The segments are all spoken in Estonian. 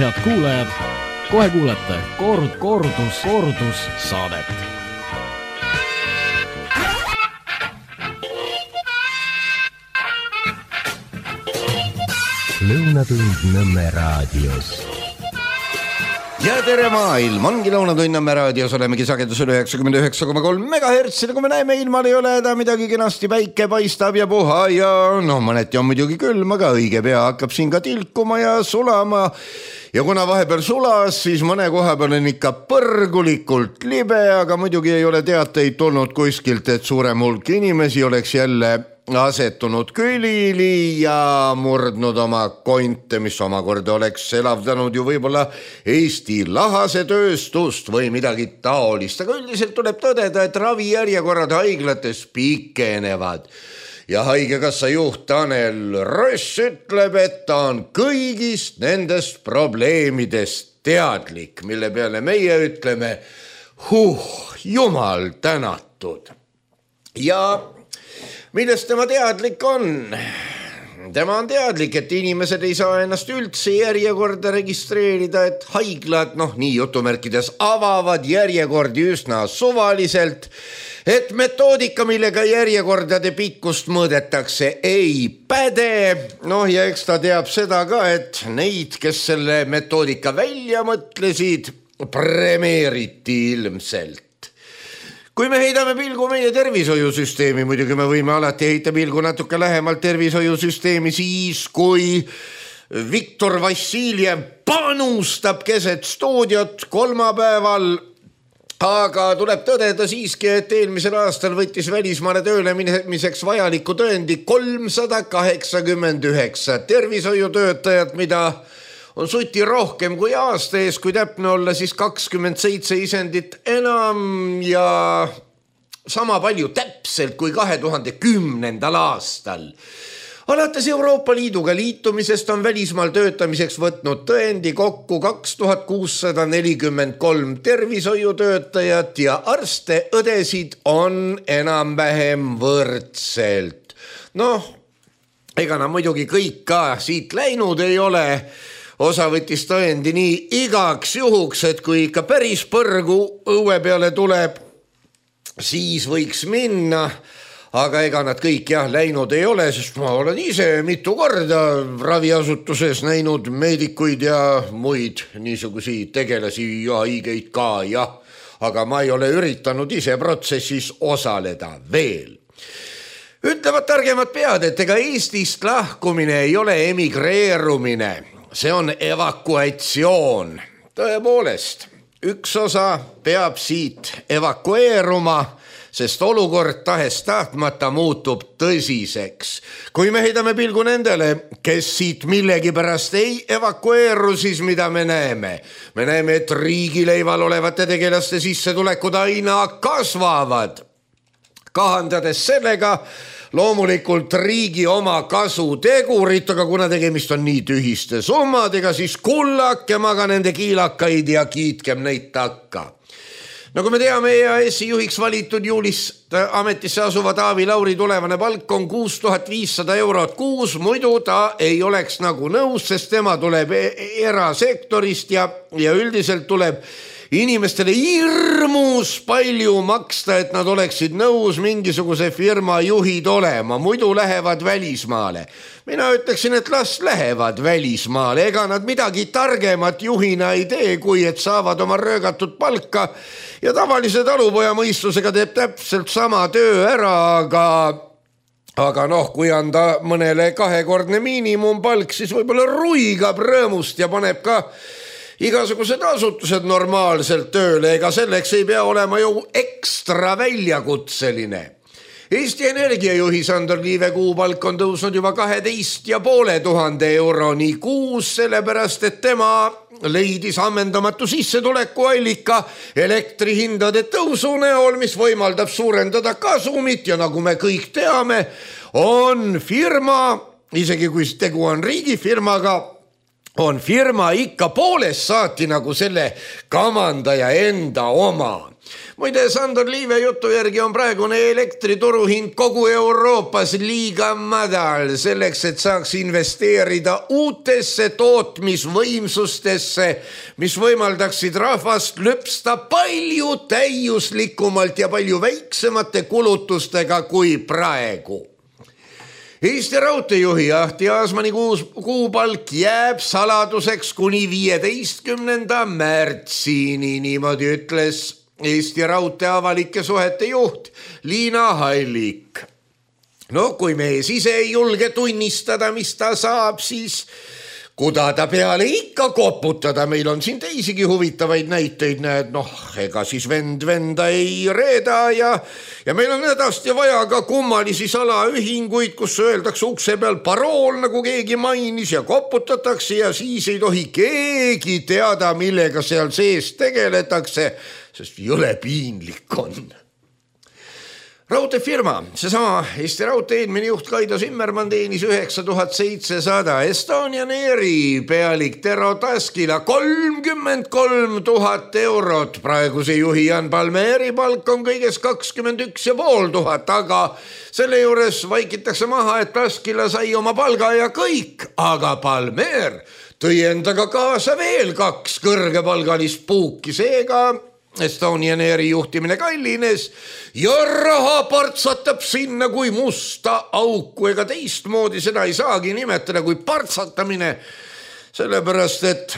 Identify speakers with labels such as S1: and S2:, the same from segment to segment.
S1: Head kuulajad, kohe kuulete kordus saadet.
S2: Lõunatund Nõmme raadios.
S3: Ja tere maailm, ongi Lõunatund Nõmme raadios, olemegi sagedusel 99,3 MHz, kui me näeme, ilmal ei ole häda midagi, kenasti päike paistab ja puha ja mõneti on muidugi külm, aga õige pea hakkab siin ka tilkuma ja sulama. Ja kuna vahepeal sulas, siis mõne koha peal on ikka põrgulikult libe, aga muidugi ei ole teateid tulnud kuskilt, et suurem hulk inimesi oleks jälle asetunud külili ja murdnud oma konte, mis omakorda oleks elavdanud ju võib-olla Eesti lahasetööstust või midagi taolist. Aga üldiselt tuleb tõdeda, et ravijärjekorrad haiglates pikenevad. Ja haigekassa juht Tanel Ross ütleb, et ta on kõigist nendest probleemidest teadlik, mille peale meie ütleme, jumal tänatud. Ja millest tema teadlik on? Tema on teadlik, et inimesed ei saa ennast üldse järjekorda registreerida, et haiglad, nii jutumärkides, avavad järjekordi üsna suvaliselt, et metoodika, millega järjekordade pikkust mõõdetakse, ei päde. Ja eks ta teab seda ka, et neid, kes selle metoodika välja mõtlesid, premeeriti ilmselt. Kui me heidame pilgu meie tervishoiusüsteemi, muidugi me võime alati heita pilgu natuke lähemalt tervishoiusüsteemi siis, kui Viktor Vassiljev panustab keset stuudiot kolmapäeval, aga tuleb tõdeda siiski, et eelmisel aastal võttis välismaale tööle minemiseks vajaliku tõendi 389 tervishoiutöötajat, mida on suti rohkem kui aasta ees, kui täpne olla, siis 27 isendit enam ja sama palju täpselt kui 2010. aastal. Alates Euroopa Liiduga liitumisest on välismaal töötamiseks võtnud tõendi kokku 2643 tervishoiutöötajat ja arste, õdesid on enam-vähem võrdselt. Ega nad muidugi kõik ka siit läinud ei ole. Osa võttis tõendi nii igaks juhuks, et kui ikka päris põrgu õue peale tuleb, siis võiks minna. Aga ega nad kõik läinud ei ole, sest ma olen ise mitu korda raviasutuses näinud meedikuid ja muid niisugusi tegelasi ja haigeid ka, aga ma ei ole üritanud ise protsessis osaleda veel. Ütlevad targemad pead, et ega Eestist lahkumine ei ole emigreerumine. See on evakuatsioon. Tõepoolest, üks osa peab siit evakueeruma, sest olukord tahes tahtmata muutub tõsiseks. Kui me heidame pilgu nendele, kes siit millegipärast ei evakueeru, siis mida me näeme? Me näeme, et riigileival olevate tegelaste sissetulekud aina kasvavad. Kahandades sellega loomulikult riigi oma kasutegurit, aga kuna tegemist on nii tühiste summadega, siis kullakem aga nende kiilakaid ja kiitkem neid takka. Nagu me teame, EAS-i juhiks valitud juulist ametisse asuva Taavi Lauri tulevane palk on 6500 eurot kuus, muidu ta ei oleks nagu nõus, sest tema tuleb erasektorist ja üldiselt tuleb inimestele hirmus palju maksta, et nad oleksid nõus mingisuguse firma juhid olema, muidu lähevad välismaale. Mina ütleksin, et las lähevad välismaale, ega nad midagi targemat juhina ei tee, kui et saavad oma röögatud palka ja tavalise talupoja mõistusega teeb täpselt sama töö ära, aga kui anda mõnele kahekordne miinimumpalk, siis võib-olla ruigab rõõmust ja paneb ka igasugused asutused normaalselt tööle, ega selleks ei pea olema ju ekstra väljakutseline. Eesti Energia juhi Sandor Liive kuupalk on tõusnud juba 12,500 euroni kuus, sellepärast et tema leidis ammendamatu sissetulekuallika elektrihindade tõusu näol, mis võimaldab suurendada kasumit ja nagu me kõik teame, on firma, isegi kui tegu on riigifirmaga, on firma ikka poolest saati nagu selle kamandaja enda oma. Muide, Sandor Liive jutu järgi on praegune elektrituruhind kogu Euroopas liiga madal selleks, et saaks investeerida uutesse tootmisvõimsustesse, mis võimaldaksid rahvast lüpsta palju täiuslikumalt ja palju väiksemate kulutustega kui praegu. Eesti Raudteejuhi Ahti Aasmani kuupalk jääb saladuseks kuni 15. märtsini, niimoodi ütles Eesti Raudtee avalike suhete juht Liina Hallik. No kui mees ise ei julge tunnistada, mis ta saab, siis kuda ta peale ikka koputada. Meil on siin teisigi huvitavaid näiteid, näed, ega siis venda ei reeda ja meil on hädasti vaja ka kummalisi salaühinguid, kus öeldakse ukse peal parool, nagu keegi mainis, ja koputatakse ja siis ei tohi keegi teada, millega seal sees tegeletakse, sest jõle piinlik on. Raudteefirma, seesama Eesti Raudtee eelmine juht Kaido Zimmermann teenis 9700, Estonian Airi pealik Tero Taskila 33 000 eurot, praeguse juhi Jan Palmeri palk on kõiges 21 500, aga selle juures vaikitakse maha, et Taskila sai oma palga ja kõik, aga Palmer tõi endaga kaasa veel 2 kõrgepalgalist puuki, seega Estonian Airi juhtimine kallines ja raha partsatab sinna kui musta auku, ega teistmoodi seda ei saagi nimetada kui partsatamine, sellepärast et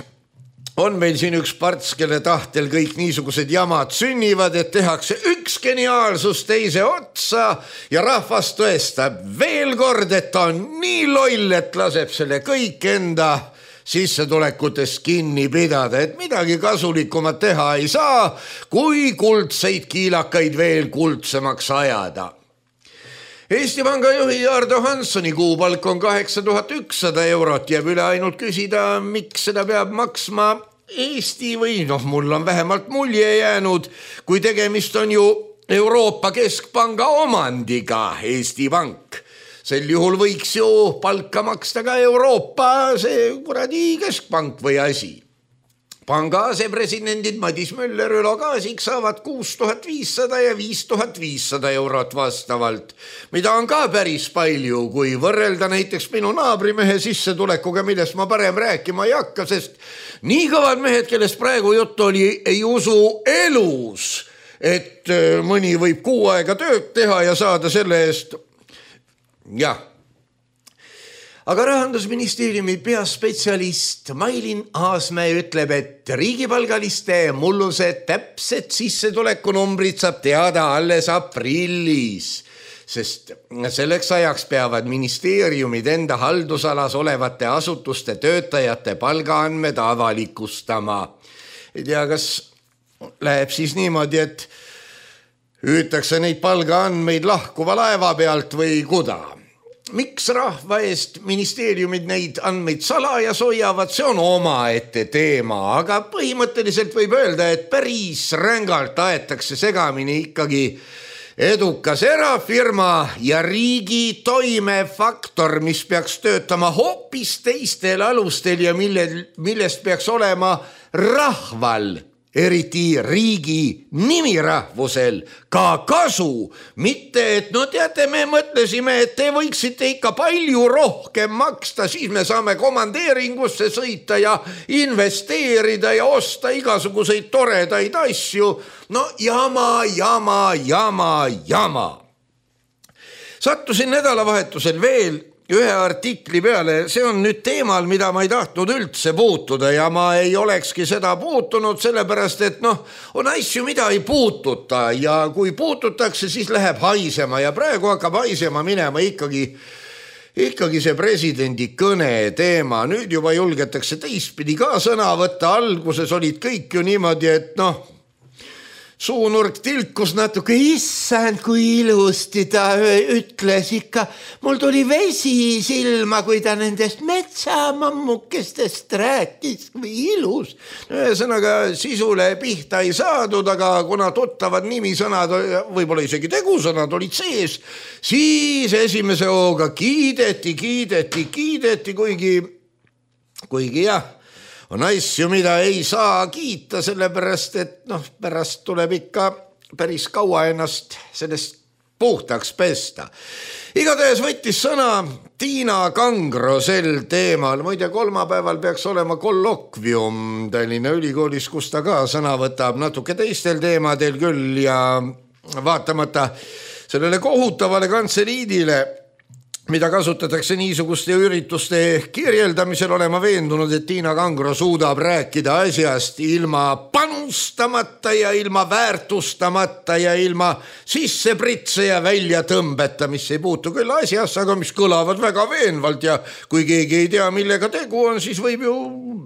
S3: on meil siin üks parts, kelle tahtel kõik niisugused jamad sünnivad, et tehakse üks geniaalsus teise otsa ja rahvas tõestab veel kord, et ta on nii loll, et laseb selle kõik enda sissetulekutes kinni pidada, et midagi kasulikumat teha ei saa, kui kuldseid kiilakaid veel kuldsemaks ajada. Eesti Panga juhi Ardo Hanssoni kuupalk on 8100 eurot, jääb üle ainult küsida, miks seda peab maksma Eesti või mul on vähemalt mulje jäänud, kui tegemist on ju Euroopa Keskpanga omandiga Eesti Pank. Sel juhul võiks ju palka maksta ka Euroopa see kuradi keskpank või asi. Panga asepresidendid Madis Möller, Ülo Kaasik saavad 6500 ja 5500 eurot vastavalt, mida on ka päris palju, kui võrrelda näiteks minu naabrimehe sissetulekuga, millest ma parem rääkima ei hakka, sest nii kõvad mehed, kellest praegu juttu oli, ei usu elus, et mõni võib 6 aega tööd teha ja saada selle eest. Jah. Aga Rahandusministeeriumi peaspetsialist Mailin Aasmäe ütleb, et riigipalgaliste mullused täpsed sissetulekunumbrid saab teada alles aprillis, sest selleks ajaks peavad ministeeriumid enda haldusalas olevate asutuste töötajate palgaandmed avalikustama. Ei tea, kas läheb siis niimoodi, et hüütakse neid palgaandmeid lahkuva laeva pealt või kuda. Miks rahva eest ministeeriumid neid andmeid salajas hoiavad, see on omaette teema, aga põhimõtteliselt võib öelda, et päris rängalt aetakse segamini ikkagi edukas erafirma ja riigi toimefaktor, mis peaks töötama hoopis teistel alustel ja millest peaks olema rahval, eriti riigi nimirahvusel ka kasu, mitte et teate, me mõtlesime, et te võiksite ikka palju rohkem maksta, siis me saame komandeeringusse sõita ja investeerida ja osta igasuguseid toredaid asju. Jama. Sattusin nädalavahetusel veel ühe artikli peale, see on nüüd teemal, mida ma ei tahtnud üldse puutuda ja ma ei olekski seda puutunud, sellepärast et on asju, mida ei puututa ja kui puututakse, siis läheb haisema ja praegu hakkab haisema minema ikkagi see presidendi kõne teema. Nüüd juba julgetakse teistpidi ka sõna võtta, alguses olid kõik ju niimoodi, et suunurk tilkus natuke, issand, kui ilusti ta ütles ikka. Mul tuli vesi silma, kui ta nendest metsamammukestest rääkis, kui ilus. Ühesõnaga sisule pihta ei saadud, aga kuna tuttavad nimisõnad, võib-olla isegi tegusõnad olid sees, siis esimese hooga kiideti, kuigi kuigi jah, on asju, mida ei saa kiita, sellepärast et pärast tuleb ikka päris kaua ennast sellest puhtaks pesta. Igatahes võttis sõna Tiina Kangro sel teemal. Muide, kolmapäeval peaks olema kollokvium Tallinna Ülikoolis, kus ta ka sõna võtab natuke teistel teemadel küll ja vaatamata sellele kohutavale kantseliidile, mida kasutatakse niisuguste ürituste kirjeldamisel, olema veendunud, et Tiina Kangro suudab rääkida asjast ilma panustamata ja ilma väärtustamata ja ilma sissepritse ja välja tõmbeta, mis ei puutu küll asjas, aga mis kõlavad väga veenvalt ja kui keegi ei tea, millega tegu on, siis võib ju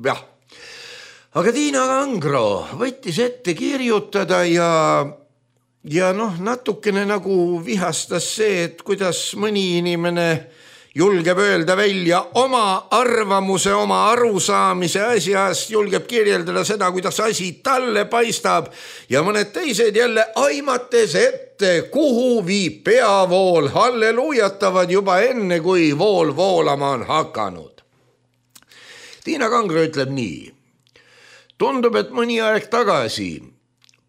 S3: jah. Aga Tiina Kangro võttis ette kirjutada ja natukene nagu vihastas see, et kuidas mõni inimene julgeb öelda välja oma arvamuse, oma arusaamise asjast, julgeb kirjeldada seda, kuidas asi talle paistab ja mõned teised jälle aimates ette, kuhu viib peavool, halleluujatavad juba enne, kui vool voolama on hakanud. Tiina Kangro ütleb nii. Tundub, et mõni aeg tagasi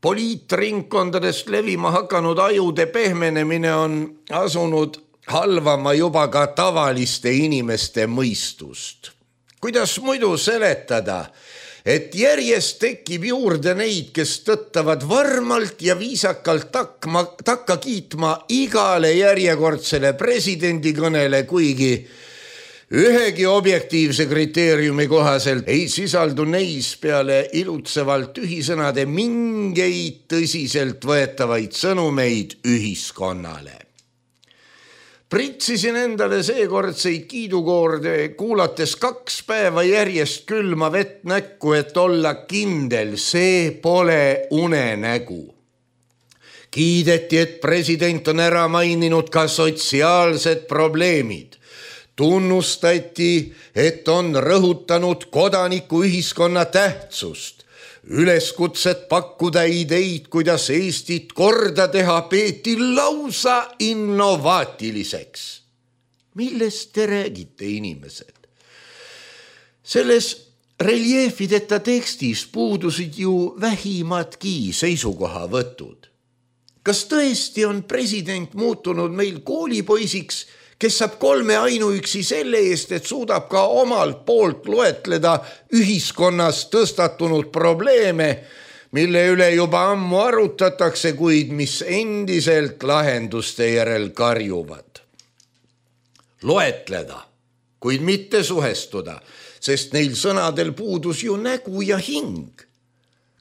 S3: poliitringkondadest levima hakanud ajude pehmenemine on asunud halvama juba ka tavaliste inimeste mõistust. Kuidas muidu seletada, et järjest tekib juurde neid, kes tõttavad varmalt ja viisakalt takka kiitma igale järjekordsele presidendi kõnele, kuigi ühegi objektiivse kriteeriumi kohaselt ei sisaldu neis peale ilutsevalt tühisõnade mingeid tõsiselt võetavaid sõnumeid ühiskonnale. Pritsisin endale seekordseid kiidukoorde kuulates 2 päeva järjest külma vett näkku, et olla kindel, see pole unenägu. Kiideti, et president on ära maininud ka sotsiaalsed probleemid. Tunnustati, et on rõhutanud kodanikuühiskonna tähtsust. Üleskutset pakkuda ideid, kuidas Eestit korda teha, peeti lausa innovaatiliseks. Millest te räägite, inimesed? Selles reljeefideta tekstis puudusid ju vähimadki seisukohavõtud. Kas tõesti on president muutunud meil koolipoisiks, kes saab 3 ainuüksi selle eest, et suudab ka omalt poolt loetleda ühiskonnas tõstatunud probleeme, mille üle juba ammu arutatakse, kuid mis endiselt lahenduste järel karjuvad. Loetleda, kuid mitte suhestuda, sest neil sõnadel puudus ju nägu ja hing.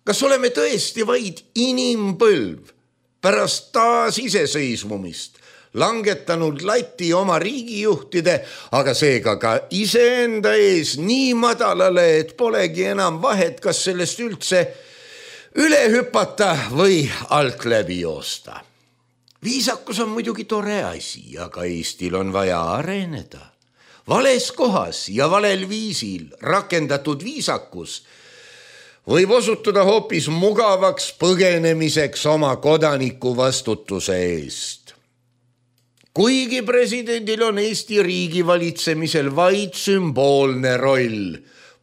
S3: Kas oleme tõesti vaid inimpõlv pärast taasiseseisvumist, langetanud lati oma riigijuhtide, aga seega ka iseenda ees nii madalale, et polegi enam vahet, kas sellest üldse üle hüpata või alt läbi joosta. Viisakus on muidugi tore asi, aga Eestil on vaja areneda. Vales kohas ja valel viisil rakendatud viisakus võib osutuda hoopis mugavaks põgenemiseks oma kodaniku vastutuse eest. Kuigi presidendil on Eesti riigi valitsemisel vaid sümboolne roll,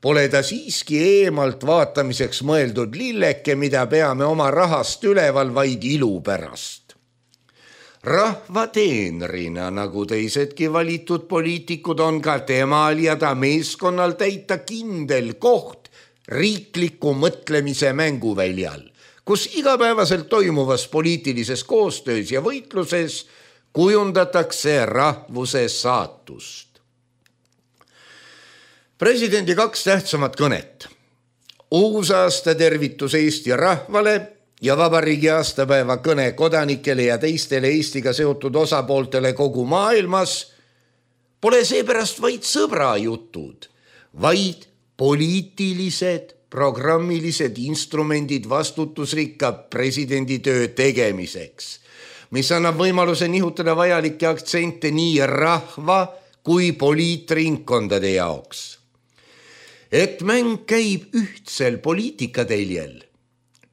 S3: pole ta siiski eemalt vaatamiseks mõeldud lilleke, mida peame oma rahast üleval vaid ilu pärast. Rahva teenrina, nagu teisedki valitud poliitikud, on ka temal ja ta meeskonnal täita kindel koht riikliku mõtlemise mänguväljal, kus igapäevaselt toimuvas poliitilises koostöös ja võitluses kujundatakse rahvuse saatust. Presidendi 2 tähtsamat kõnet. Uusaasta tervitus Eesti rahvale ja vabariigi aastapäeva kõne kodanikele ja teistele Eestiga seotud osapooltele kogu maailmas pole seepärast vaid sõbrajutud, vaid poliitilised, programmilised instrumendid vastutusrikka presidendi töö tegemiseks, mis annab võimaluse nihutada vajalikke aktsente nii rahva kui poliitringkondade jaoks. Et mäng käib ühtsel poliitikateljel,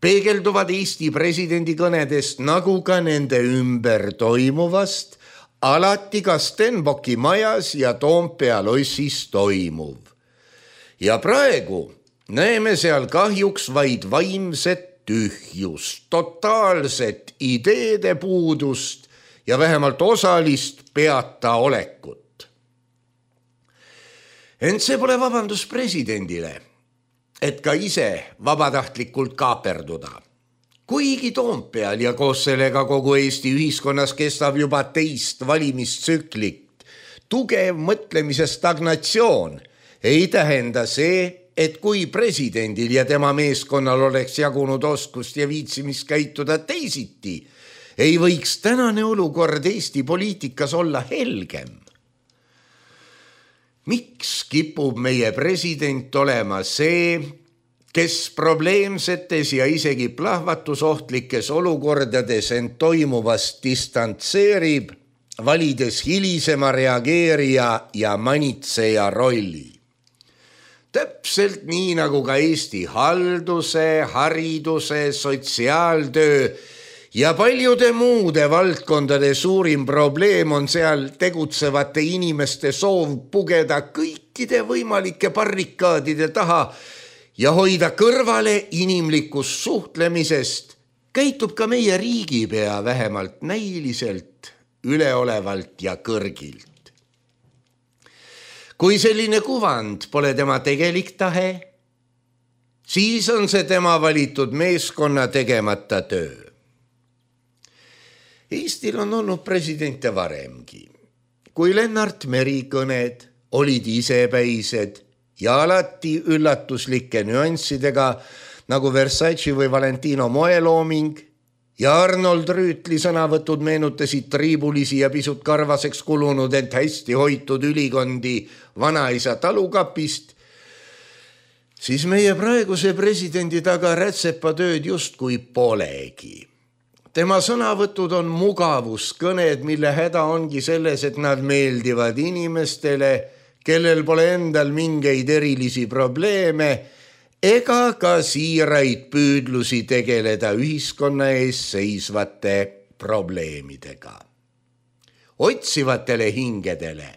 S3: peegelduvad Eesti presidendi kõnedest nagu ka nende ümber toimuvast, alati ka Stenbocki majas ja Toompea lossis toimuv. Ja praegu näeme seal kahjuks vaid vaimset tühjust, totaalset ideede puudust ja vähemalt osalist peata olekut. Ent see pole vabandus presidendile, et ka ise vabatahtlikult kaaperduda. Kuigi Toompeal ja koos sellega kogu Eesti ühiskonnas kestab juba teist valimistsüklit, tugev mõtlemise stagnatsioon ei tähenda see, et kui presidendil ja tema meeskonnal oleks jagunud oskust ja viitsimist käituda teisiti, ei võiks tänane olukord Eesti poliitikas olla helgem. Miks kipub meie president olema see, kes probleemsetes ja isegi plahvatusohtlikes olukordades end toimuvast distantseerib, valides hilisema reageerija ja manitseja rolli? Täpselt nii nagu ka Eesti halduse, hariduse, sotsiaaltöö ja paljude muude valdkondade suurim probleem on seal tegutsevate inimeste soov pugeda kõikide võimalike barrikaadide taha ja hoida kõrvale inimlikust suhtlemisest, käitub ka meie riigipea vähemalt näiliselt, üleolevalt ja kõrgilt. Kui selline kuvand pole tema tegelik tahe, siis on see tema valitud meeskonna tegemata töö. Eestil on olnud presidente varemgi, kui Lennart Meri kõned olid isepäised ja alati üllatuslike nüanssidega nagu Versace või Valentino moelooming ja Arnold Rüütli sõnavõtud meenutasid triibulisi ja pisut karvaseks kulunud, ent hästi hoitud ülikondi vanaisa talukapist, siis meie praeguse presidendi taga rätsepatööd justkui polegi. Tema sõnavõtud on mugavuskõned, mille häda ongi selles, et nad meeldivad inimestele, kellel pole endal mingeid erilisi probleeme ega ka siiraid püüdlusi tegeleda ühiskonna ees seisvate probleemidega. Otsivatele hingedele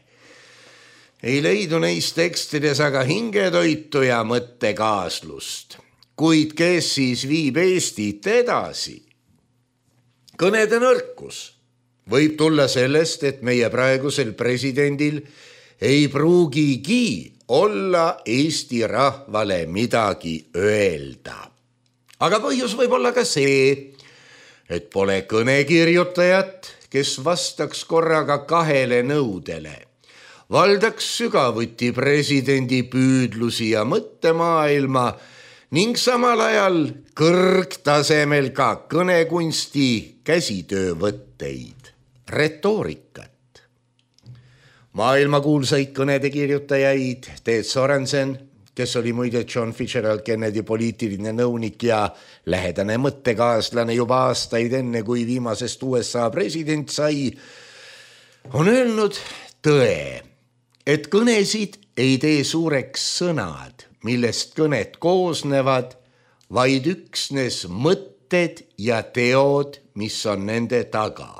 S3: ei leidu neis tekstides aga hingetoitu ja mõttekaaslust, kuid kes siis viib Eestit edasi? Kõnede nõrkus võib tulla sellest, et meie praegusel presidendil ei pruugigi olla Eesti rahvale midagi öelda. Aga põhjus võib olla ka see, et pole kõnekirjutajat, kes vastaks korraga kahele nõudele. Valdaks sügavuti presidendi püüdlusi ja mõttemaailma ning samal ajal kõrgtasemel ka kõnekunsti käsitöövõtteid, retoorikat. Maailmakuulsaid kõnede kirjutajaid Ted Sorensen, kes oli muide John Fitzgerald Kennedy poliitiline nõunik ja lähedane mõttekaaslane juba aastaid enne, kui viimasest USA president sai, on öelnud tõe, et kõnesid ei tee suureks sõnad, millest kõned koosnevad, vaid üksnes mõtted ja teod, mis on nende taga.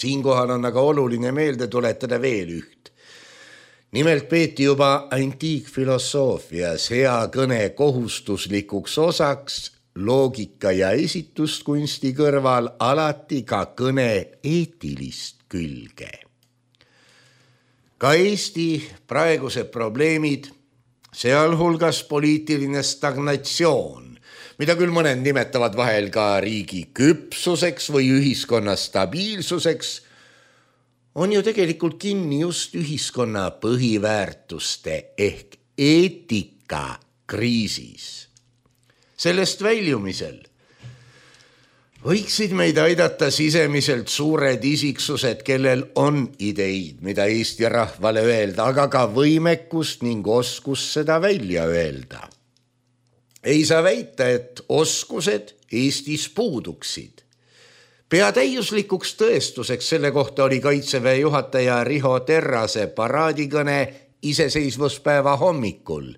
S3: Siinkohal on aga oluline meelde tuletada veel üht. Nimelt peeti juba antiikfilosoofias hea kõne kohustuslikuks osaks loogika ja esituskunsti kõrval alati ka kõne eetilist külge. Ka Eesti praegused probleemid, sealhulgas poliitiline stagnatsioon, mida küll mõned nimetavad vahel ka riigi küpsuseks või ühiskonna stabiilsuseks, on ju tegelikult kinni just ühiskonna põhiväärtuste ehk eetika kriisis. Sellest väljumisel võiksid meid aidata sisemiselt suured isiksused, kellel on ideid, mida Eesti rahvale öelda, aga ka võimekust ning oskust seda välja öelda. Ei saa väita, et oskused Eestis puuduksid. Peatäiuslikuks tõestuseks selle kohta oli Kaitseväe juhataja Riho Terrase paraadikõne iseseisvuspäeva hommikul,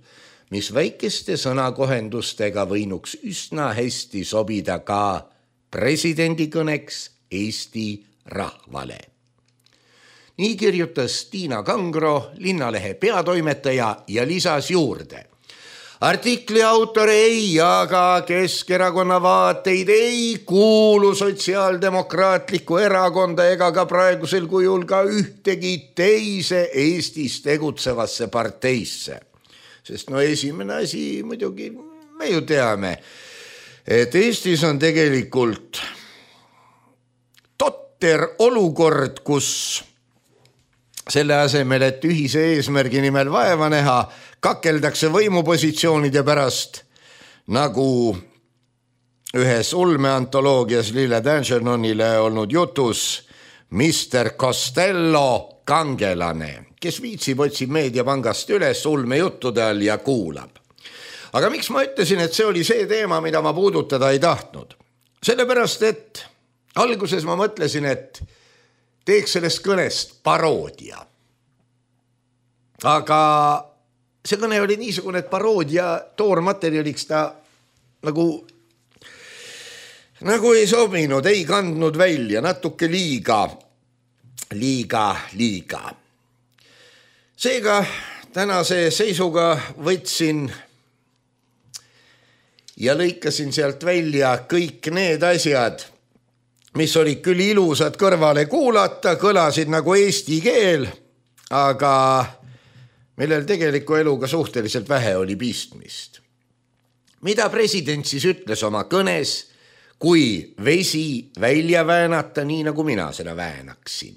S3: mis väikeste sõnakohendustega võinuks üsna hästi sobida ka presidendi kõneks Eesti rahvale. Nii kirjutas Tiina Kangro, Linnalehe peatoimetaja ja lisas juurde. Artikli autor ei jaga Keskerakonna vaateid, ei kuulu Sotsiaaldemokraatlikku erakonda ega ka praegusel kujul ka ühtegi teise Eestis tegutsevasse parteisse. Sest esimene asi muidugi me ju teame, et Eestis on tegelikult totter olukord, kus selle asemel, et ühise eesmärgi nimel vaeva näha, kakeldakse võimupositsioonide pärast, nagu ühes ulmeantoloogias Lille Danchernonile olnud jutus Mr. Costello kangelane, kes viitsib otsib meediapangast üles ulmejuttude all ja kuulab. Aga miks ma ütlesin, et see oli see teema, mida ma puudutada ei tahtnud? Sellepärast, et alguses ma mõtlesin, et teeks sellest kõnest paroodia. Aga see kõne oli niisugune, et paroodia toormaterjaliks ta nagu ei sobinud, ei kandnud välja, natuke liiga. Seega tänase seisuga võtsin ja lõikasin sealt välja kõik need asjad, mis olid küll ilusad kõrvale kuulata, kõlasid nagu eesti keel, aga millel tegeliku eluga suhteliselt vähe oli pistmist. Mida president siis ütles oma kõnes, kui vesi välja väänata, nii nagu mina seda väänaksin?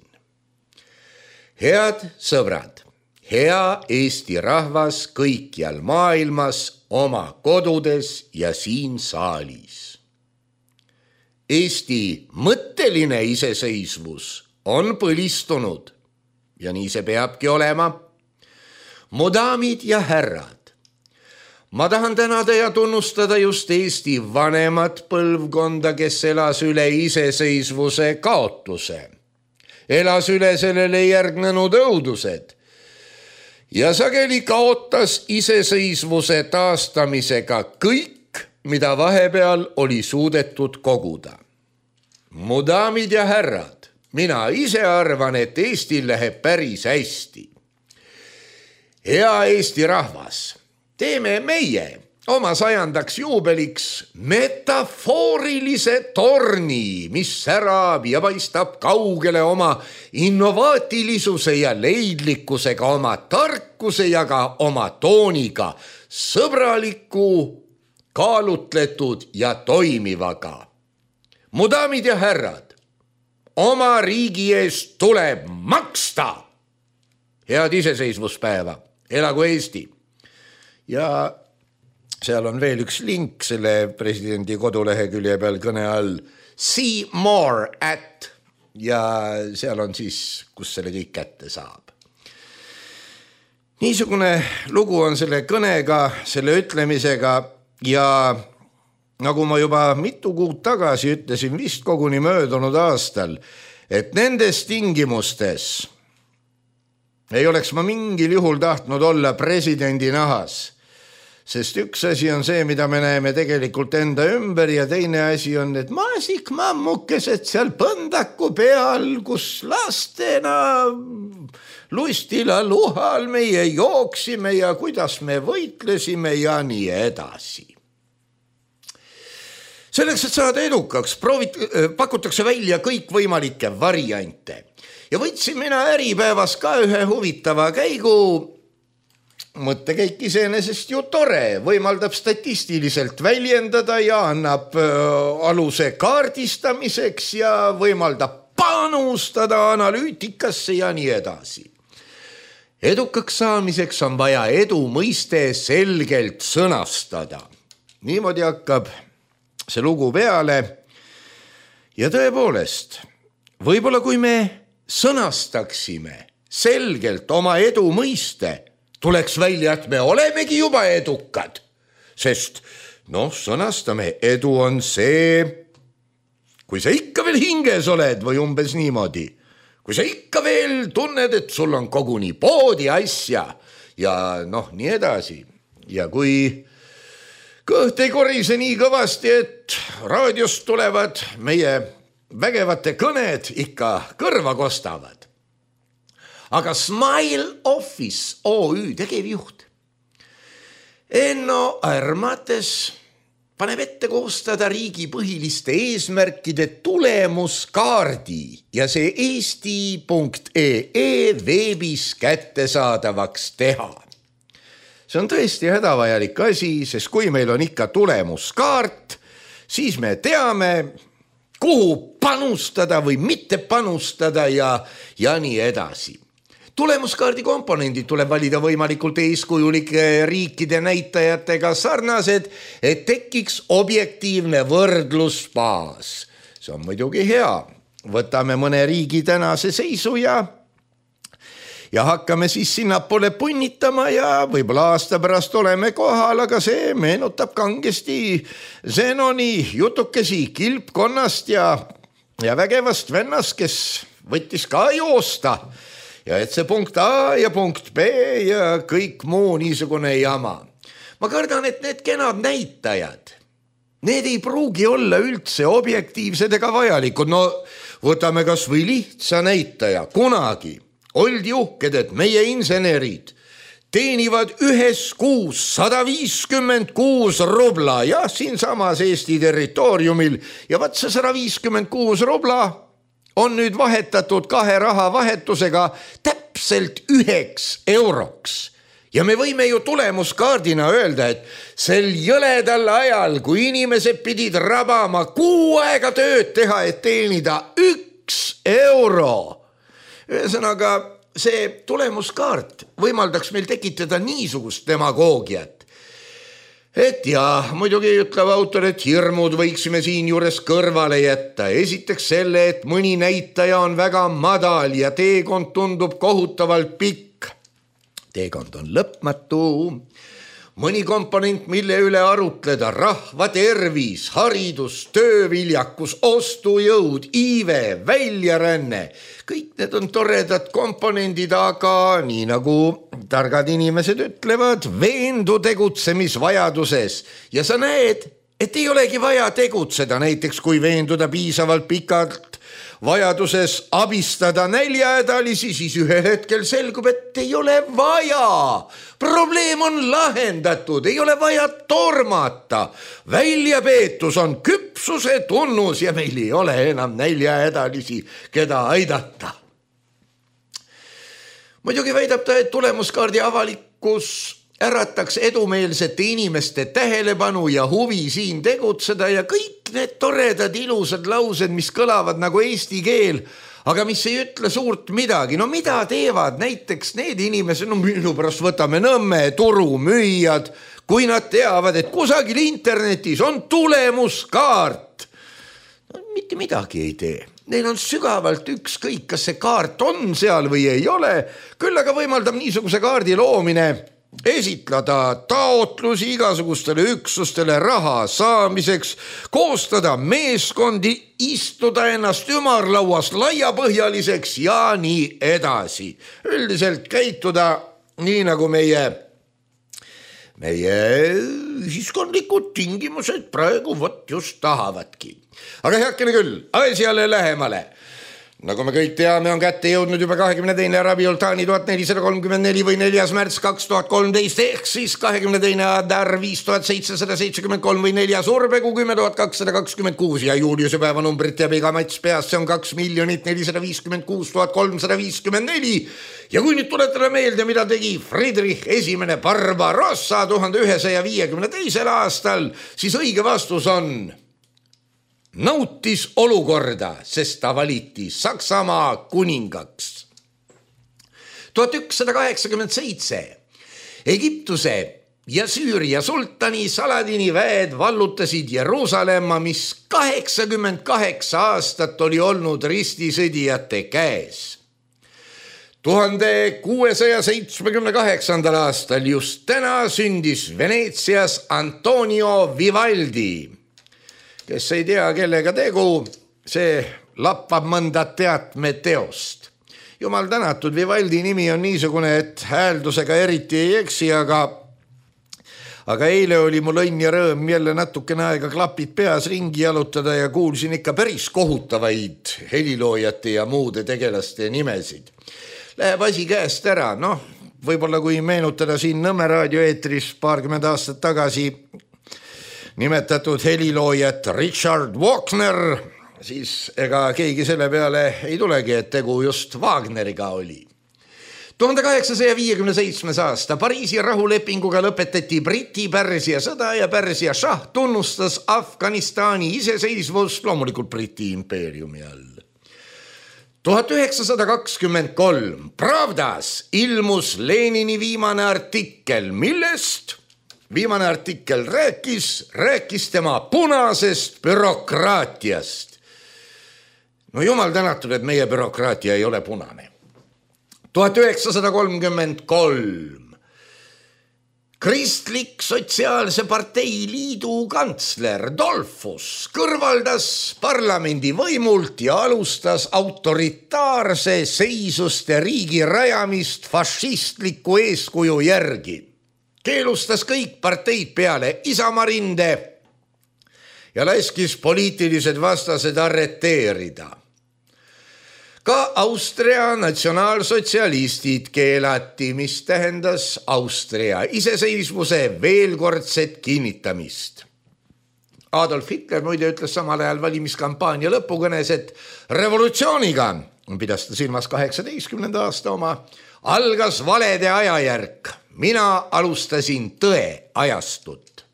S3: Head sõbrad, hea Eesti rahvas kõikjal maailmas, oma kodudes ja siin saalis. Eesti mõtteline iseseisvus on põlistunud ja nii see peabki olema. Mu daamid ja härrad, ma tahan tänada ja tunnustada just Eesti vanemat põlvkonda, kes elas üle iseseisvuse kaotuse. Elas üle sellele järgnenud õudused ja sageli kaotas iseseisvuse taastamisega kõik, mida vahepeal oli suudetud koguda. Mu daamid ja härrad, mina ise arvan, et Eestil läheb päris hästi. Hea Eesti rahvas, teeme meie oma 100. juubeliks metafoorilise torni, mis särab ja paistab kaugele oma innovaatilisuse ja leidlikkusega, oma tarkuse ja ka oma tooniga, sõbraliku, kaalutletud ja toimivaga. Mu daamid ja härrad, oma riigi eest tuleb maksta. Head iseseisvuspäeva, elagu Eesti. Ja seal on veel üks link selle presidendi kodulehekülje peal kõne all. See more at ja seal on siis, kus selle kõik kätte saab. Niisugune lugu on selle kõnega, selle ütlemisega. Ja nagu ma juba mitu kuud tagasi ütlesin, vist koguni möödunud aastal, et nendes tingimustes ei oleks ma mingil juhul tahtnud olla presidendi nahas, sest üks asi on see, mida me näeme tegelikult enda ümber ja teine asi on need maasikmammukesed seal põndaku peal, kus lastena lustila luhal meie jooksime ja kuidas me võitlesime ja nii edasi. Selleks, et saada edukaks, pakutakse välja kõikvõimalikke variante. Ja võtsin mina Äripäevas ka ühe huvitava käigu. Mõttekäik iseenesest ju tore, võimaldab statistiliselt väljendada ja annab aluse kaardistamiseks ja võimaldab panustada analüütikasse ja nii edasi. Edukaks saamiseks on vaja edu mõiste selgelt sõnastada. Niimoodi hakkab see lugu peale ja tõepoolest, võib-olla kui me sõnastaksime selgelt oma edu mõiste, tuleks välja, et me olemegi juba edukad, sest sõnastame, edu on see, kui sa ikka veel hinges oled või umbes niimoodi, kui sa ikka veel tunned, et sul on koguni poodi asja ja nii edasi ja kui kõht ei korise nii kõvasti, et raadiost tulevad meie vägevate kõned ikka kõrva kostavad. aga Smile Office OÜ tegevjuht Enno Armates paneb ette koostada riigi põhiliste eesmärkide tulemuskaardi ja see eesti.ee veebis kättesaadavaks teha. See on tõesti hädavajalik asi, sest kui meil on ikka tulemuskaart, siis me teame, kuhu panustada või mitte panustada ja nii edasi. Tulemuskaardi komponendid tuleb valida võimalikult eeskujulike riikide näitajatega sarnased, et tekiks objektiivne võrdlusbaas. See on muidugi hea. Võtame mõne riigi tänase seisu ja hakkame siis sinnapoole punnitama ja võib-olla aasta pärast oleme kohal, aga see meenutab kangesti Zenoni jutukesi kilpkonnast ja vägevast vennast, kes võttis ka joosta. Ja et see punkt A ja punkt B ja kõik muu niisugune jama. Ma kardan, et need kenad näitajad, need ei pruugi olla üldse objektiivsed ega vajalikud. No võtame kas või lihtsa näitaja. Kunagi oldi uhked, et meie insenerid teenivad ühes kuus 156 rubla ja siinsamas Eesti territooriumil ja vaat see 156 rubla on nüüd vahetatud 2 rahavahetusega täpselt 9 euroks. Ja me võime ju tulemuskaardina öelda, et sel jõledal ajal, kui inimesed pidid rabama 6 aega tööd teha, et teenida 1 euro. Ühesõnaga, see tulemuskaart võimaldaks meil tekitada niisugust demagoogiat. Et ja, muidugi ütleb autor, et hirmud võiksime siin juures kõrvale jätta. Esiteks selle, et mõni näitaja on väga madal ja teekond tundub kohutavalt pikk. Teekond on lõpmatu. Mõni komponent, mille üle arutleda, rahva tervis, haridus, tööviljakus, ostujõud, iive, väljaränne. Kõik need on toredad komponendid, aga nii nagu targad inimesed ütlevad, veendu tegutsemisvajaduses. Ja sa näed, et ei olegi vaja tegutseda, näiteks kui veenduda piisavalt pikalt vajaduses abistada näljahädalisi, siis ühel hetkel selgub, et ei ole vaja. Probleem on lahendatud, ei ole vaja tormata. Väljapeetus on küpsuse tunnus ja meil ei ole enam näljahädalisi, keda aidata. Muidugi väidab ta, et tulemuskaardi avalikkus ärataks edumeelsete inimeste tähelepanu ja huvi siin tegutseda ja kõik need toredad ilusad laused, mis kõlavad nagu eesti keel, aga mis ei ütle suurt midagi. No mida teevad näiteks need inimesed, no minu pärast võtame Nõmme turumüüjad, kui nad teavad, et kusagil internetis on tulemuskaart. No, mitte midagi ei tee. Neil on sügavalt ükskõik, kas see kaart on seal või ei ole, küll aga võimaldab niisuguse kaardi loomine esitleda taotlusi igasugustele üksustele raha saamiseks, koostada meeskondi, istuda ennast ümarlauas laiapõhjaliseks ja nii edasi. Üldiselt käituda nii nagu meie ühiskondlikud tingimused praegu võt just tahavadki. Aga heakene küll, asjale lähemale. Nagu me kõik teame, on kätte jõudnud juba 22. Rabiultani 1434 või 4. märts 2013 ehk siis 22. Adar 5773 või 4. Urbegu 10226 ja Juliuse päevanumbrit teab iga mats peast, see on 2 456 354 ja kui nüüd tuletada meelde, mida tegi Friedrich I Barbarossa 1152. aastal, siis õige vastus on nautis olukorda, sest ta valiti Saksamaa kuningaks. 1187 Egiptuse ja Süüria sultani Saladini väed vallutasid Jeruusalemma, mis 88 aastat oli olnud ristisõdijate käes. 1678. aastal just täna sündis Veneetsias Antonio Vivaldi. Kes ei tea, kellega tegu, see lappab mõnda teatmeteost. Jumal tänatud, Vivaldi nimi on niisugune, et hääldusega eriti ei eksi, aga eile oli mul õnn ja rõõm jälle natukene aega klapid peas ringi jalutada ja kuulsin ikka päris kohutavaid heliloojate ja muude tegelaste nimesid. läheb asi käest ära. Noh, võib-olla kui meenutada siin Nõmme raadio eetris 20 aastat tagasi nimetatud heliloojat Richard Wagner, siis ega keegi selle peale ei tulegi, et tegu just Wagneriga oli. 1857. aasta Pariisi rahulepinguga lõpetati Briti-Pärsia sõda ja Pärsia šah tunnustas Afganistani iseseisvust loomulikult Briti impeeriumi all. 1923 Pravdas ilmus Lenini viimane artikkel, millest viimane artikkel rääkis tema punasest bürokraatiast. No jumal tänatud, et meie bürokraatia ei ole punane. 1933 Kristlik Sotsiaalse Partei Liidu kantsler Dollfuss kõrvaldas parlamendi võimult ja alustas autoritaarse seisuste riigi rajamist fašistliku eeskuju järgi. Keelustas kõik parteid peale Isamaa rinde ja laskis poliitilised vastased arreteerida. Ka Austria natsionaalsotsialistid keelati, mis tähendas Austria iseseisvuse veelkordset kinnitamist. Adolf Hitler muide ütles samal ajal valimiskampaania lõpukõnes, et revolutsiooniga, pidas ta silmas 18. aasta oma, algas valede ajajärk. Mina alustasin tõe ajastut.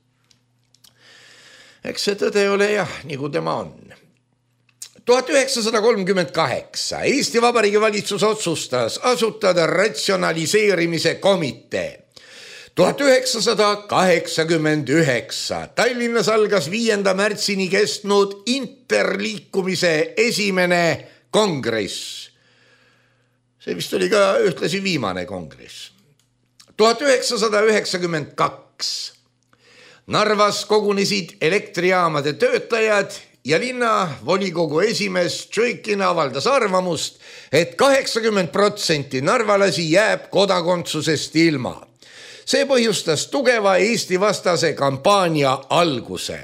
S3: Eks see tõde ole jah, nagu tema on. 1938 Eesti Vabariigi valitsus otsustas asutada ratsionaliseerimise komitee. 1989 Tallinnas algas 5. märtsini kestnud interliikumise esimene kongress. See vist oli ka ühtlasi viimane kongress. 1992 Narvas kogunesid elektrijaamade töötajad ja linna volikogu esimees Tšõikin avaldas arvamust, et 80% narvalasi jääb kodakondsusest ilma. See põhjustas tugeva Eesti vastase kampaania alguse.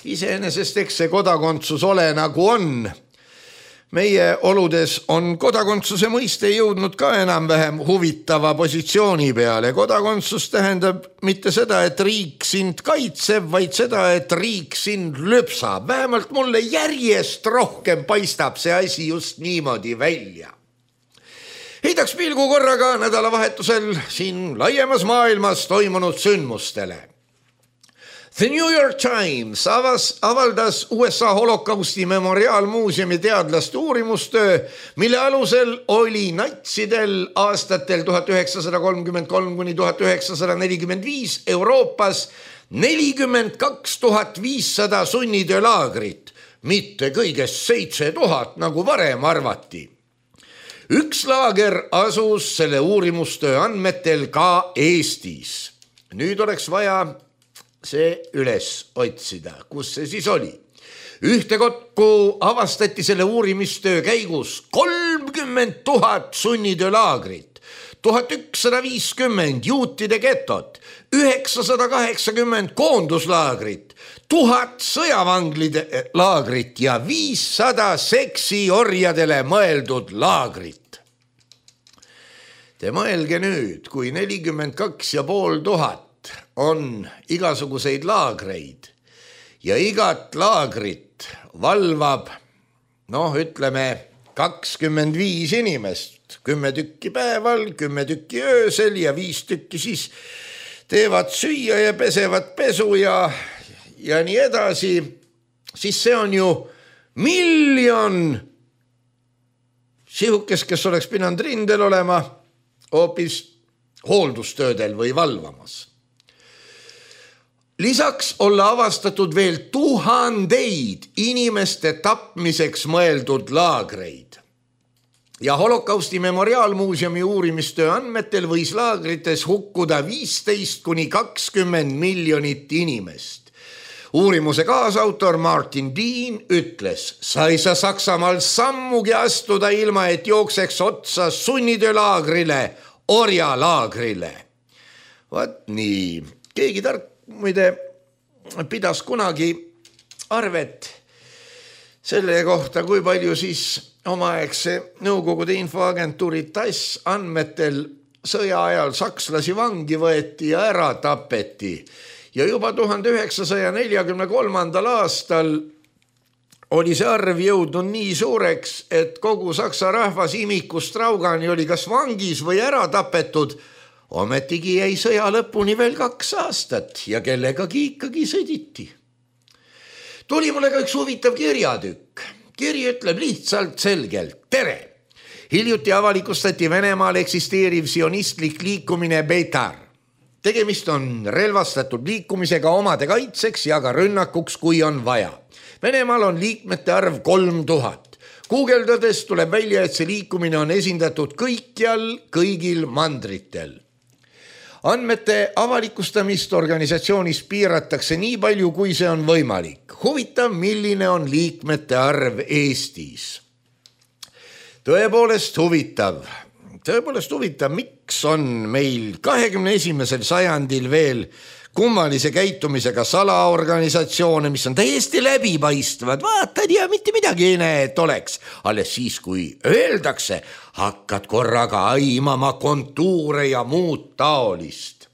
S3: Iseenesest eks see kodakondsus ole nagu on. Meie oludes on kodakondsuse mõiste jõudnud ka enam-vähem huvitava positsiooni peale. Kodakondsus tähendab mitte seda, et riik sind kaitseb, vaid seda, et riik sind lüpsab. Vähemalt mulle järjest rohkem paistab see asi just niimoodi välja. Heidaks pilgu korraga nädalavahetusel siin laiemas maailmas toimunud sündmustele. The New York Times avaldas USA holokausti memoriaalmuuseumi teadlaste uurimustöö, mille alusel oli natsidel aastatel 1933–1945 Euroopas 42 500 sunnitöölaagrit, mitte kõigest 7000, nagu varem arvati. Üks laager asus selle uurimustöö andmetel ka Eestis. Nüüd oleks vaja see üles otsida, kus see siis oli. Ühtekokku avastati selle uurimistöö käigus 30 000 sunnitöölaagrit, 1150 juutide getot, 980 koonduslaagrit, 1000 sõjavanglide laagrit ja 500 seksiorjadele mõeldud laagrit. Te mõelge nüüd, kui 42 500 on igasuguseid laagreid ja igat laagrit valvab, ütleme 25 inimest, 10 tükki päeval, 10 tükki öösel ja 5 tükki siis teevad süüa ja pesevad pesu ja nii edasi, siis see on ju 1 000 000 sihukest, kes oleks pidanud rindel olema hoopis hooldustöödel või valvamas. Lisaks olla avastatud veel tuhandeid inimeste tapmiseks mõeldud laagreid. Ja holokausti memoriaalmuuseumi uurimistöö andmetel võis laagrites hukkuda 15–20 miljonit inimest. Uurimuse kaasautor Martin Dean ütles, sa ei saa Saksamaal sammugi astuda ilma, et jookseks otsa sunnitöölaagrile, orjalaagrile. Vaat nii, keegi tark muide pidas kunagi arvet selle kohta, kui palju siis omaaegse Nõukogude infoagentuuri TASS andmetel sõja ajal sakslasi vangi võeti ja ära tapeti. Ja juba 1943. aastal oli see arv jõudnud nii suureks, et kogu saksa rahvas imikust raugani oli kas vangis või ära tapetud. Ometigi jäi sõja lõpuni veel 2 aastat ja kellegagi ikkagi sõditi. Tuli mulle ka üks huvitav kirjatükk. Kiri ütleb lihtsalt selgelt: tere! Hiljuti avalikustati Venemaal eksisteeriv sionistlik liikumine Beitar. Tegemist on relvastatud liikumisega omade kaitseks ja ka rünnakuks, kui on vaja. Venemaal on liikmete arv 3000. Guugeldades tuleb välja, et see liikumine on esindatud kõikjal, kõigil mandritel. Andmete avalikustamist organisatsioonis piiratakse nii palju, kui see on võimalik. Huvitav, milline on liikmete arv Eestis? Tõepoolest huvitav, miks on meil 21. sajandil veel kummalise käitumisega salaorganisatsioone, mis on täiesti läbipaistvad, vaatad ja mitte midagi ei näe, et oleks. Alles siis, kui öeldakse, hakkad korraga aimama kontuure ja muud taolist.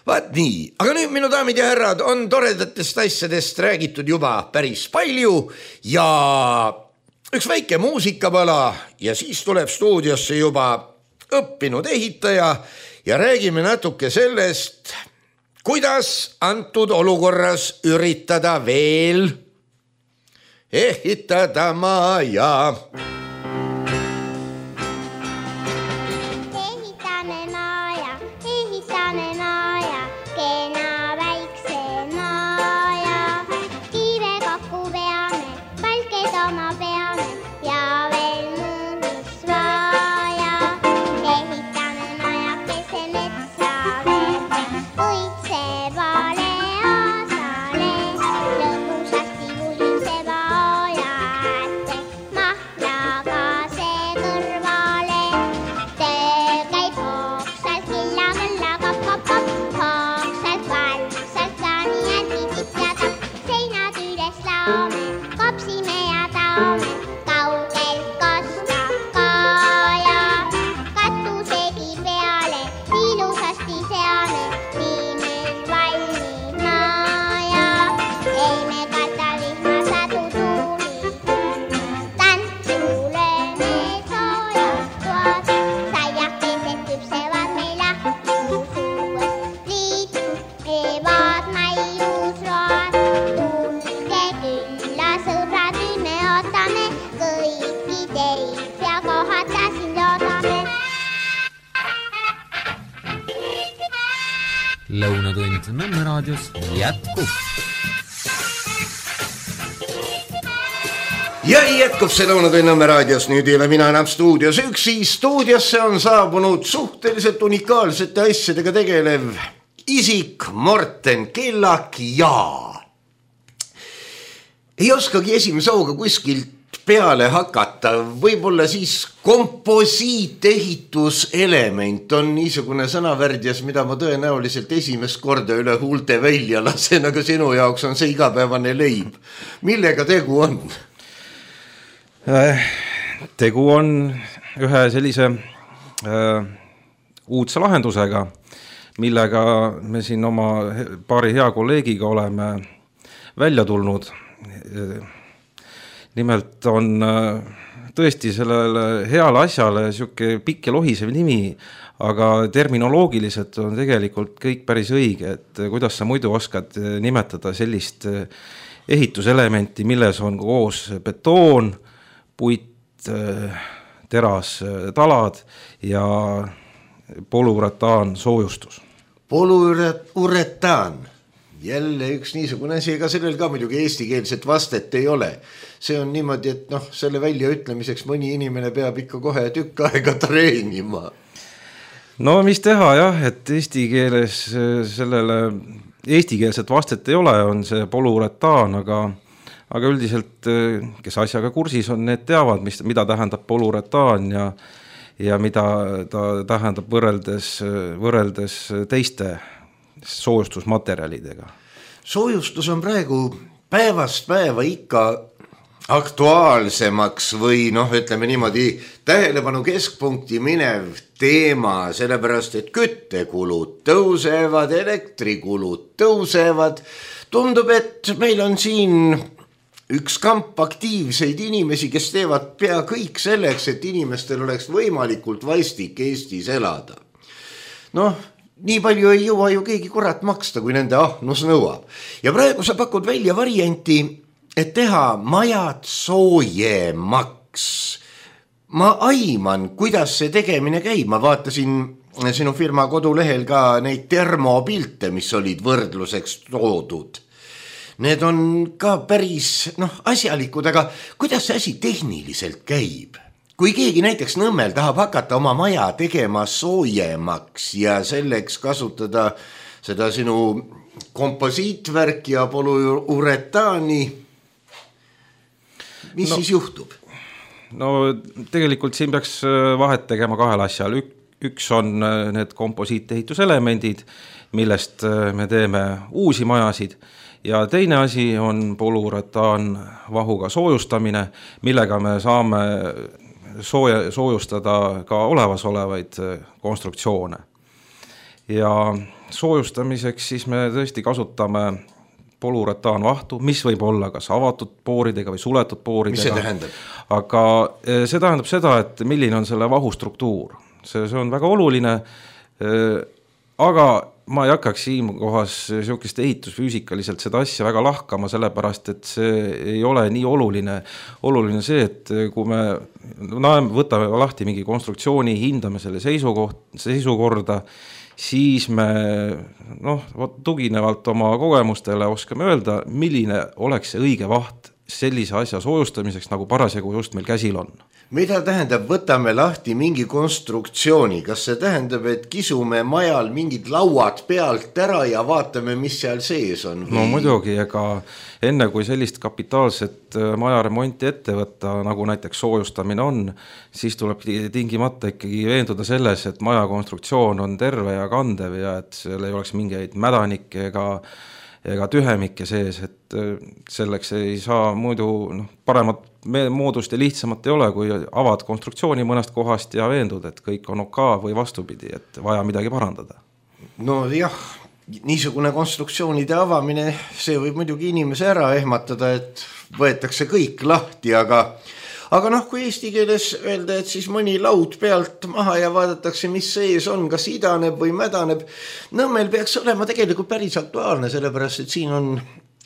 S3: Vaat nii, aga nüüd, minu daamid ja härrad, on toredatest asjadest räägitud juba päris palju ja üks väike muusikapala ja siis tuleb stuudiosse juba õppinud ehitaja ja räägime natuke sellest, kuidas antud olukorras üritada veel ehitada maja.
S2: Lõunatund Nõmme raadios jätkub.
S3: Ja jätkub see Lõunatund Nõmme raadios. Nüüd ei ole mina enam stuudios üksi. Stuudiosse on saabunud suhteliselt unikaalsete asjadega tegelev isik Morten Kellak ja ei oskagi esimese hooga kuskilt peale hakata, võib-olla siis komposiiteehituselement on niisugune sõnavärdjas, mida ma tõenäoliselt esimest korda üle huulte välja lasen, aga sinu jaoks on see igapäevane leib. Millega tegu on?
S4: Tegu on ühe sellise uudse lahendusega, millega me siin oma paari hea kolleegiga oleme välja tulnud. Nimelt on tõesti sellele heale asjale siuke pikk ja lohisev nimi, aga terminoloogiliselt on tegelikult kõik päris õige, et kuidas sa muidu oskad nimetada sellist ehituselementi, milles on koos betoon, puit, teras, talad ja polüuretaan soojustus.
S3: Polüuretaan. Jälle üks niisugune asi, ega sellel ka muidugi eestikeelset vastet ei ole. See on niimoodi, et selle väljaütlemiseks mõni inimene peab ikka kohe tükk aega treenima.
S4: No mis teha jah, et eesti keeles sellele eestikeelset vastet ei ole, on see polüuretaan, aga üldiselt, kes asjaga kursis on, need teavad, mida tähendab polüuretaan ja mida ta tähendab võrreldes teiste soojustusmaterjalidega.
S3: Soojustus on praegu päevast päeva ikka aktuaalsemaks või ütleme niimoodi tähelepanu keskpunkti minev teema, sellepärast et küttekulud tõusevad, elektrikulud tõusevad. Tundub, et meil on siin üks kamp aktiivseid inimesi, kes teevad pea kõik selleks, et inimestel oleks võimalikult vastik Eestis elada. Nii palju ei jõua ju keegi kurat maksta, kui nende ahnus nõuab. Ja praegu sa pakud välja varianti, et teha majad soojemaks. Ma aiman, kuidas see tegemine käib. Ma vaatasin sinu firma kodulehel ka neid termopilte, mis olid võrdluseks toodud. Need on ka päris asjalikud, aga kuidas see asi tehniliselt käib? Kui keegi näiteks Nõmmel tahab hakata oma maja tegema soojemaks ja selleks kasutada seda sinu komposiitvärk ja polüuretaani, mis siis juhtub?
S4: Tegelikult siin peaks vahet tegema kahel asjal. Üks on need komposiiteehituselemendid, millest me teeme uusi majasid, ja teine asi on polüuretaan vahuga soojustamine, millega me saame soojustada ka olemasolevaid konstruktsioone. Ja soojustamiseks siis me tõesti kasutame polüuretaanvahtu, mis võib olla kas avatud pooridega või suletud pooridega.
S3: Mis see tähendab?
S4: Aga see tähendab seda, et milline on selle vahu struktuur. See on väga oluline, aga ma ei hakkaks siinkohas niisugust ehitusfüüsikaliselt seda asja väga lahkama, sellepärast, et see ei ole nii oluline. Oluline see, et kui me võtame lahti mingi konstruktsiooni, hindame selle seisukorda, siis me tuginevalt oma kogemustele oskame öelda, milline oleks see õige vaht sellise asja soojustamiseks, nagu parasjagu just meil käsil on.
S3: Mida tähendab, võtame lahti mingi konstruktsiooni? Kas see tähendab, et kisume majal mingid lauad pealt ära ja vaatame, mis seal sees on?
S4: No muidugi, ega enne kui sellist kapitaalset majaremonti ette võtta, nagu näiteks soojustamine on, siis tuleb tingimata ikkagi veenduda selles, et maja konstruktsioon on terve ja kandev ja et seal ei oleks mingeid mädanikke ega tühemikke sees, et selleks ei saa muidu paremat moodust ja lihtsamat ei ole, kui avad konstruktsiooni mõnest kohast ja veendud, et kõik on OK või vastupidi, et vaja midagi parandada.
S3: Jah, niisugune konstruktsioonide avamine, see võib muidugi inimese ära ehmatada, et võetakse kõik lahti, aga kui eesti keeles öelda, et siis mõni laud pealt maha ja vaadatakse, mis sees on, kas idaneb või mädaneb. Nõmmel peaks olema tegelikult päris aktuaalne, sellepärast, et siin on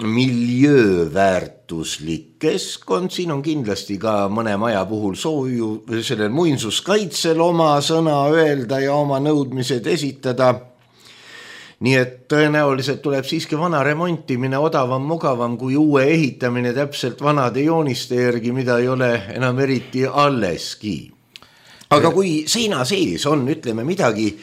S3: miljööväärtuslik keskkond, siin on kindlasti ka mõne maja puhul sellel muinsuskaitsel oma sõna öelda ja oma nõudmised esitada. Nii et tõenäoliselt tuleb siiski vana remontimine odavam, mugavam kui uue ehitamine täpselt vanade jooniste järgi, mida ei ole enam eriti alleski. Aga kui seina sees on, ütleme midagi,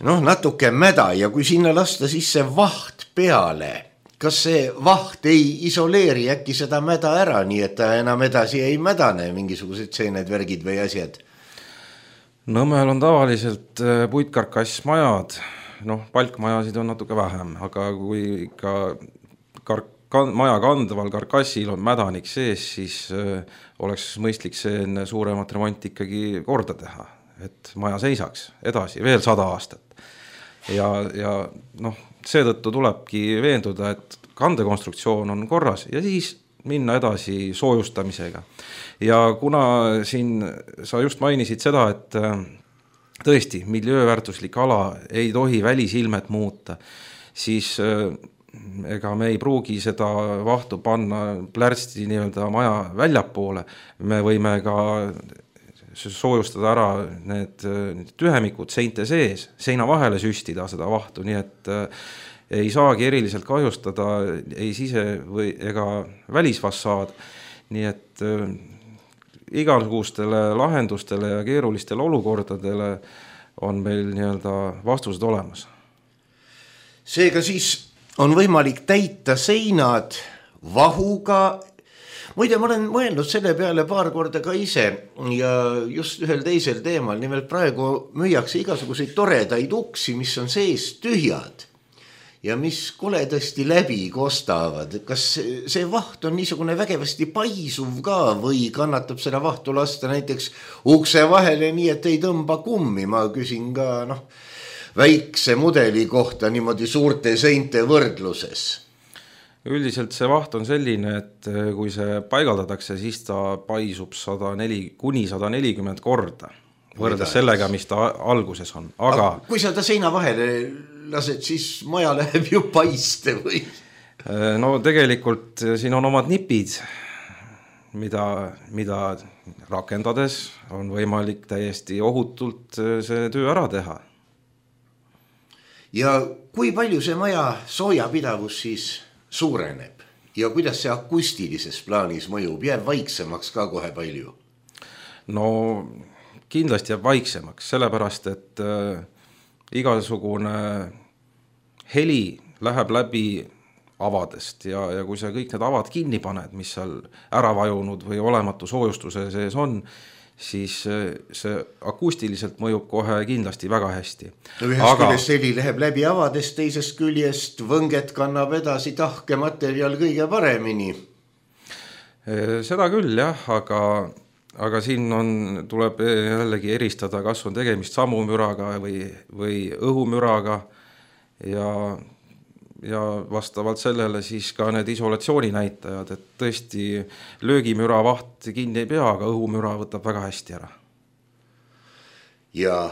S3: natuke mäda ja kui sinna lasta sisse vaht peale, kas see vaht ei isoleeri äkki seda mäda ära, nii et ta enam edasi ei mädane, mingisugused seened, värgid või asjad?
S4: Nõmmel on tavaliselt puitkarkassmajad, palkmajasid on natuke vähem, aga kui ikka maja kandval karkassil on mädanik sees, siis oleks mõistlik see enne suuremat remonti ikkagi korda teha, et maja seisaks edasi veel 100 aastat. Ja seetõttu tulebki veenduda, et kandekonstruktsioon on korras ja siis minna edasi soojustamisega. Ja kuna siin sa just mainisid seda, et tõesti, miljööväärtuslik ala ei tohi välisilmet muuta, siis ega me ei pruugi seda vahtu panna plärsti nii-öelda maja väljapoole. Me võime ka soojustada ära need tühemikud seinte sees, seina vahele süstida seda vahtu, nii et ei saagi eriliselt kahjustada ei sise- või ega välisfassaad. Nii et igasugustele lahendustele ja keerulistele olukordadele on meil nii-öelda vastused olemas.
S3: Seega siis on võimalik täita seinad vahuga. Muide, ma olen mõelnud selle peale paar korda ka ise ja just ühel teisel teemal. Nimelt praegu müüakse igasuguseid toredaid uksi, mis on sees tühjad. ja mis koledasti läbi kostavad. Kas see vaht on niisugune vägevasti paisuv ka või kannatab seda vahtu lasta näiteks ukse vahele nii, et ei tõmba kummi? Ma küsin ka väikse mudeli kohta niimoodi suurte seinte võrdluses.
S4: Üldiselt see vaht on selline, et kui see paigaldatakse, siis ta paisub 140 korda võrreldes sellega, mis ta alguses on. Aga
S3: kui sa ta seina vahele lased, siis maja läheb ju paiste või?
S4: No tegelikult siin on omad nipid, mida rakendades on võimalik täiesti ohutult see töö ära teha.
S3: Ja kui palju see maja soojapidavus siis suureneb ja kuidas see akustilises plaanis mõjub, jääb vaiksemaks ka kohe palju?
S4: No kindlasti jääb vaiksemaks, sellepärast, et igasugune heli läheb läbi avadest ja kui sa kõik need avad kinni paned, mis seal ära vajunud või olematu soojustuse sees on, siis see akustiliselt mõjub kohe kindlasti väga hästi.
S3: Ühest küljest heli läheb läbi avadest, teisest küljest võnget kannab edasi tahke materjal kõige paremini.
S4: Seda küll jah, aga siin tuleb jällegi eristada, kas on tegemist sammumüraga või õhumüraga ja vastavalt sellele siis ka need isolatsiooni näitajad, et tõesti löögimüra vaht kinni ei pea, aga õhumüra võtab väga hästi ära.
S3: Ja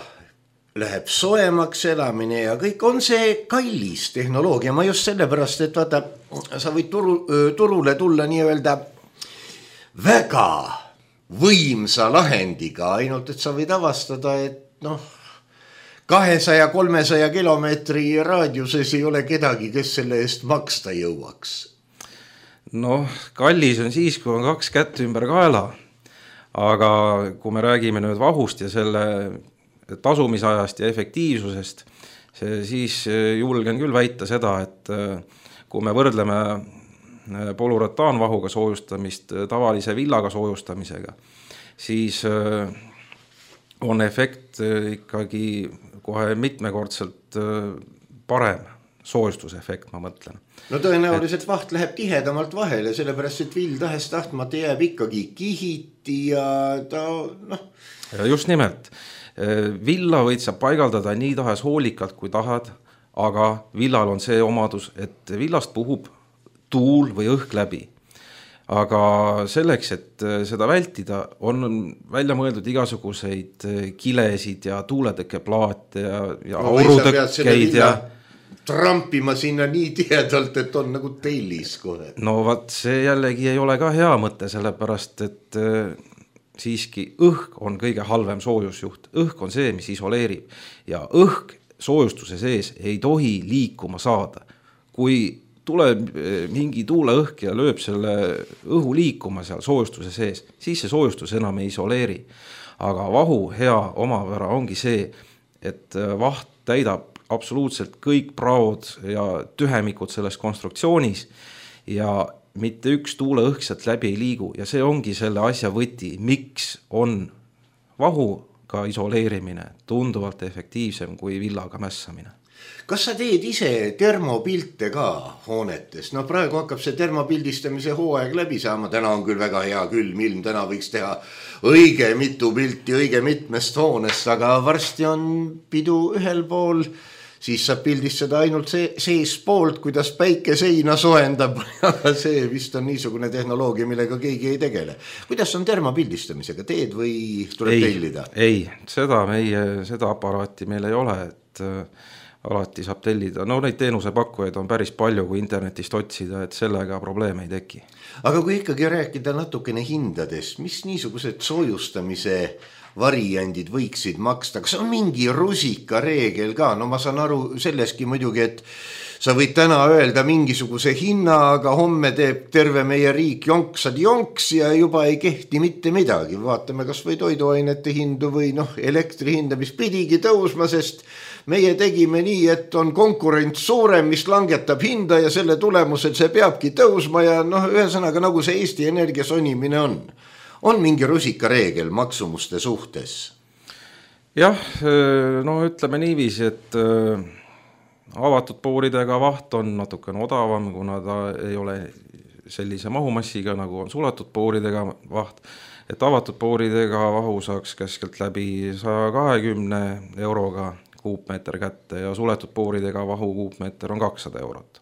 S3: läheb soemaks elamine ja kõik on see kallis tehnoloogia. Ma just sellepärast, et vaata, sa võid turule tulla nii-öelda väga võimsa lahendiga, ainult et sa võid avastada, et 200-300 kilomeetri raadiuses ei ole kedagi, kes selle eest maksta jõuaks.
S4: Kallis on siis, kui on 2 kätt ümber kaela, aga kui me räägime nüüd vahust ja selle tasumisajast ja efektiivsusest, siis julgen küll väita seda, et kui me võrdleme polurataanvahuga soojustamist tavalise villaga soojustamisega, siis on efekt ikkagi kohe mitmekordselt parem soojustusefekt, ma mõtlen.
S3: Tõenäoliselt vaht läheb tihedamalt vahele, sellepärast, et vill tahes tahtmata jääb ikkagi kihiti ja ta
S4: Ja just nimelt. Villa võid sa paigaldada nii tahes hoolikalt, kui tahad, aga villal on see omadus, et villast puhub tuul või õhk läbi. Aga selleks, et seda vältida, on välja mõeldud igasuguseid kilesid ja tuuletõkkeplaate ja aurutõkkeid ja
S3: trampima sinna nii tihedalt, et on nagu tellis kohe.
S4: See jällegi ei ole ka hea mõte, sellepärast, et siiski õhk on kõige halvem soojusjuht. Õhk on see, mis isoleerib ja õhk soojustuse sees ei tohi liikuma saada. Kui tuleb mingi tuuleõhk ja lööb selle õhu liikuma seal soojustuse sees, siis see soojustus enam ei isoleeri. Aga vahu hea omapära ongi see, et vaht täidab absoluutselt kõik praod ja tühemikud selles konstruktsioonis ja mitte üks tuuleõhk sealt läbi ei liigu ja see ongi selle asja võti, miks on vahuga isoleerimine tunduvalt efektiivsem kui villaga mässamine.
S3: Kas sa teed ise termopilte ka hoonetes? Praegu hakkab see termopildistamise hooaeg läbi saama. Täna on küll väga hea külm ilm, täna võiks teha õige mitu pilti õige mitmest hoonest, aga varsti on pidu ühel pool, siis saab pildistada ainult sees poolt, kuidas päike seina soendab, aga see vist on niisugune tehnoloogia, millega keegi ei tegele. Kuidas on termopildistamisega, teed või tuleb tellida?
S4: Ei, seda aparaati meil ei ole, et alati saab tellida. Neid teenusepakkujaid on päris palju, kui internetist otsida, et sellega probleeme ei teki. Aga
S3: kui ikkagi rääkida natukene hindadest, mis niisugused soojustamise variandid võiksid maksta? Kas on mingi rusika reegel ka? Ma saan aru selleski muidugi, et sa võid täna öelda mingisuguse hinna, aga homme teeb terve meie riik jonks ja juba ei kehti mitte midagi. Vaatame kas või toiduainete hindu või elektri hinda, mis pidigi tõusma, sest meie tegime nii, et on konkurents suurem, mis langetab hinda ja selle tulemusel see peabki tõusma ja ühesõnaga nagu see Eesti Energia sonimine on. On mingi rusika reegel maksumuste suhtes?
S4: Jah, ütleme niiviisi, et avatud pooridega vaht on natukene odavam, kuna ta ei ole sellise mahumassiga, nagu on suletud pooridega vaht, et avatud pooridega vahu saaks keskelt läbi 120 euroga kuupmeeter kätte ja suletud pooridega vahu kuupmeeter on 200 eurot.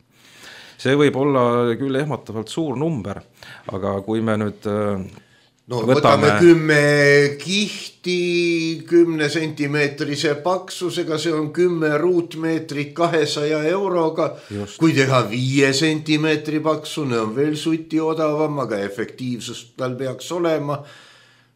S4: See võib olla küll ehmatavalt suur number, aga kui me nüüd
S3: võtame 10 kihti 10 sentimeetrise paksusega, see on 10 ruutmeetrit 200 euroga. Just. Kui teha 5 sentimeetri paksune on veel suti odavam, aga efektiivsust tal peaks olema.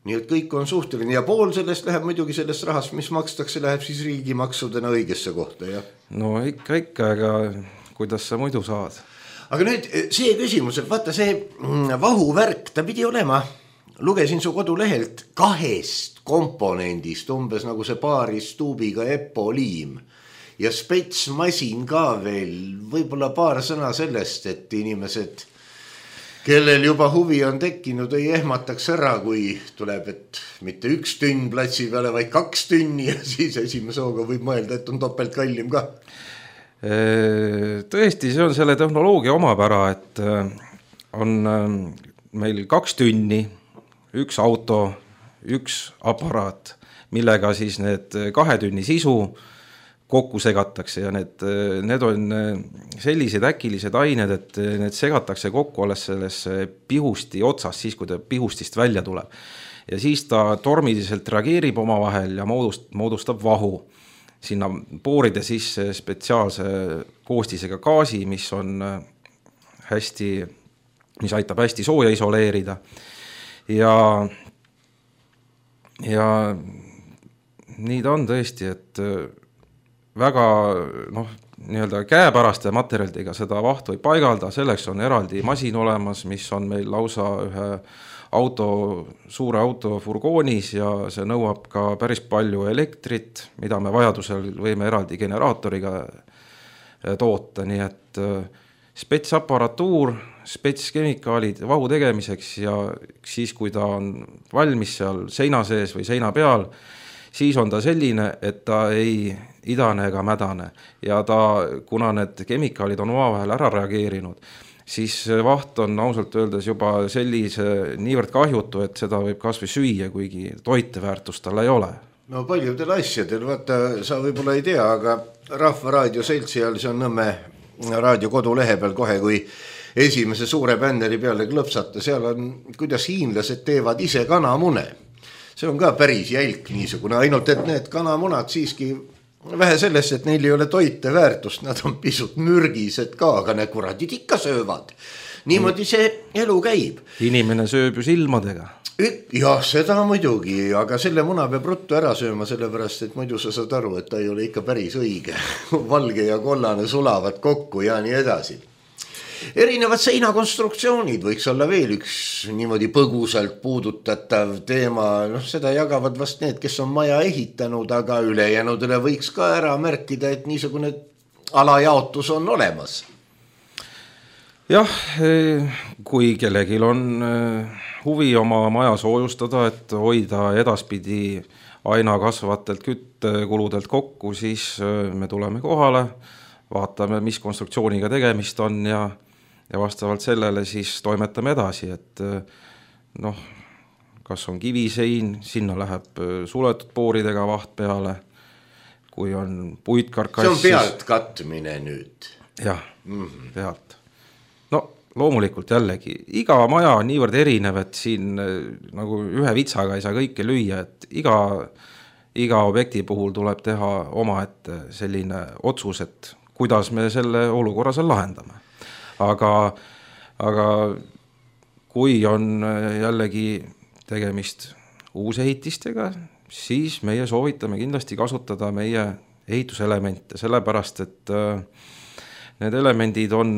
S3: Nii et kõik on suhteline ja pool sellest läheb muidugi sellest rahast, mis makstakse, läheb siis riigimaksudena õigesse kohta. Ja?
S4: No ikka, aga kuidas sa muidu saad?
S3: Aga nüüd see küsimus, et vaata see vahuvärk, ta pidi olema, lugesin su kodulehelt 2 komponendist, umbes nagu see paaris tuubiga epoliim ja spetsmasin ka veel, võib-olla paar sõna sellest, et inimesed, kellel juba huvi on tekkinud, ei ehmataks ära, kui tuleb, et mitte 1 tünn platsi peale, vaid 2 tünni ja siis esimese hooga võib mõelda, et on topelt kallim ka.
S4: Tõesti, see on selle tehnoloogia omapära, et on meil 2 tünni, 1 auto, 1 aparaat, millega siis need 2 tünni sisu kokku segatakse ja need on sellised äkilised ained, et need segatakse kokku alles sellesse pihusti otsas, siis kui ta pihustist välja tuleb. Ja siis ta tormiliselt reageerib omavahel ja moodustab vahu. Sinna pooride sisse spetsiaalse koostisega gaasi, mis aitab hästi sooja isoleerida. Ja nii ta on tõesti, et väga nii-öelda käepäraste materjalidega seda vahtu ei paigalda, selleks on eraldi masin olemas, mis on meil lausa ühe suure auto furgoonis ja see nõuab ka päris palju elektrit, mida me vajadusel võime eraldi generaatoriga toota, nii et spetsaparatuur, spetskemikaalid vahu tegemiseks ja siis, kui ta on valmis seal seina sees või seina peal, siis on ta selline, et ta ei idane ega mädane ja kuna need kemikaalid on omavahel ära reageerinud, siis vaht on ausalt öeldes juba niivõrd kahjutu, et seda võib kas või süüa, kuigi toiteväärtust tal ei ole.
S3: No paljudel asjadel, vaata, sa võib-olla ei tea, aga Rahvaraadio seltsi all, see on Nõmme raadio kodulehe peal kohe, kui esimese suure bänneri peale klõpsata, seal on, kuidas hiinlased teevad ise kanamune. See on ka päris jälk niisugune, ainult et need kanamunad siiski vähe sellest, et neil ei ole toiteväärtust, nad on pisut mürgised ka, aga need kuradid ikka söövad. Niimoodi see elu käib.
S4: Inimene sööb ju silmadega.
S3: Jah, seda muidugi, aga selle muna peab ruttu ära sööma, sellepärast, et muidu sa saad aru, et ta ei ole ikka päris õige. Valge ja kollane sulavad kokku ja nii edasi. Erinevad seinakonstruktsioonid võiks olla veel üks niimoodi põgusalt puudutatav teema, seda jagavad vast need, kes on maja ehitanud, aga ülejänudele võiks ka ära märkida, et niisugune alajaotus on olemas.
S4: Jah, kui kellelgi on huvi oma maja soojustada, et hoida edaspidi aina kasvatelt küttekuludelt kokku, siis me tuleme kohale, vaatame, mis konstruktsiooniga tegemist on ja vastavalt sellele siis toimetame edasi, et kas on kivisein, sinna läheb suletud pooridega vaht peale, kui on puitkarkass.
S3: See on pealt katmine nüüd.
S4: Jah, pealt. No loomulikult jällegi, iga maja on niivõrd erinev, et siin nagu ühe vitsaga ei saa kõike lüüa, et iga objekti puhul tuleb teha omaette selline otsus, et kuidas me selle olukorra seal lahendame. Aga kui on jällegi tegemist uusehitistega, siis meie soovitame kindlasti kasutada meie ehituselemente, sellepärast, et need elemendid on...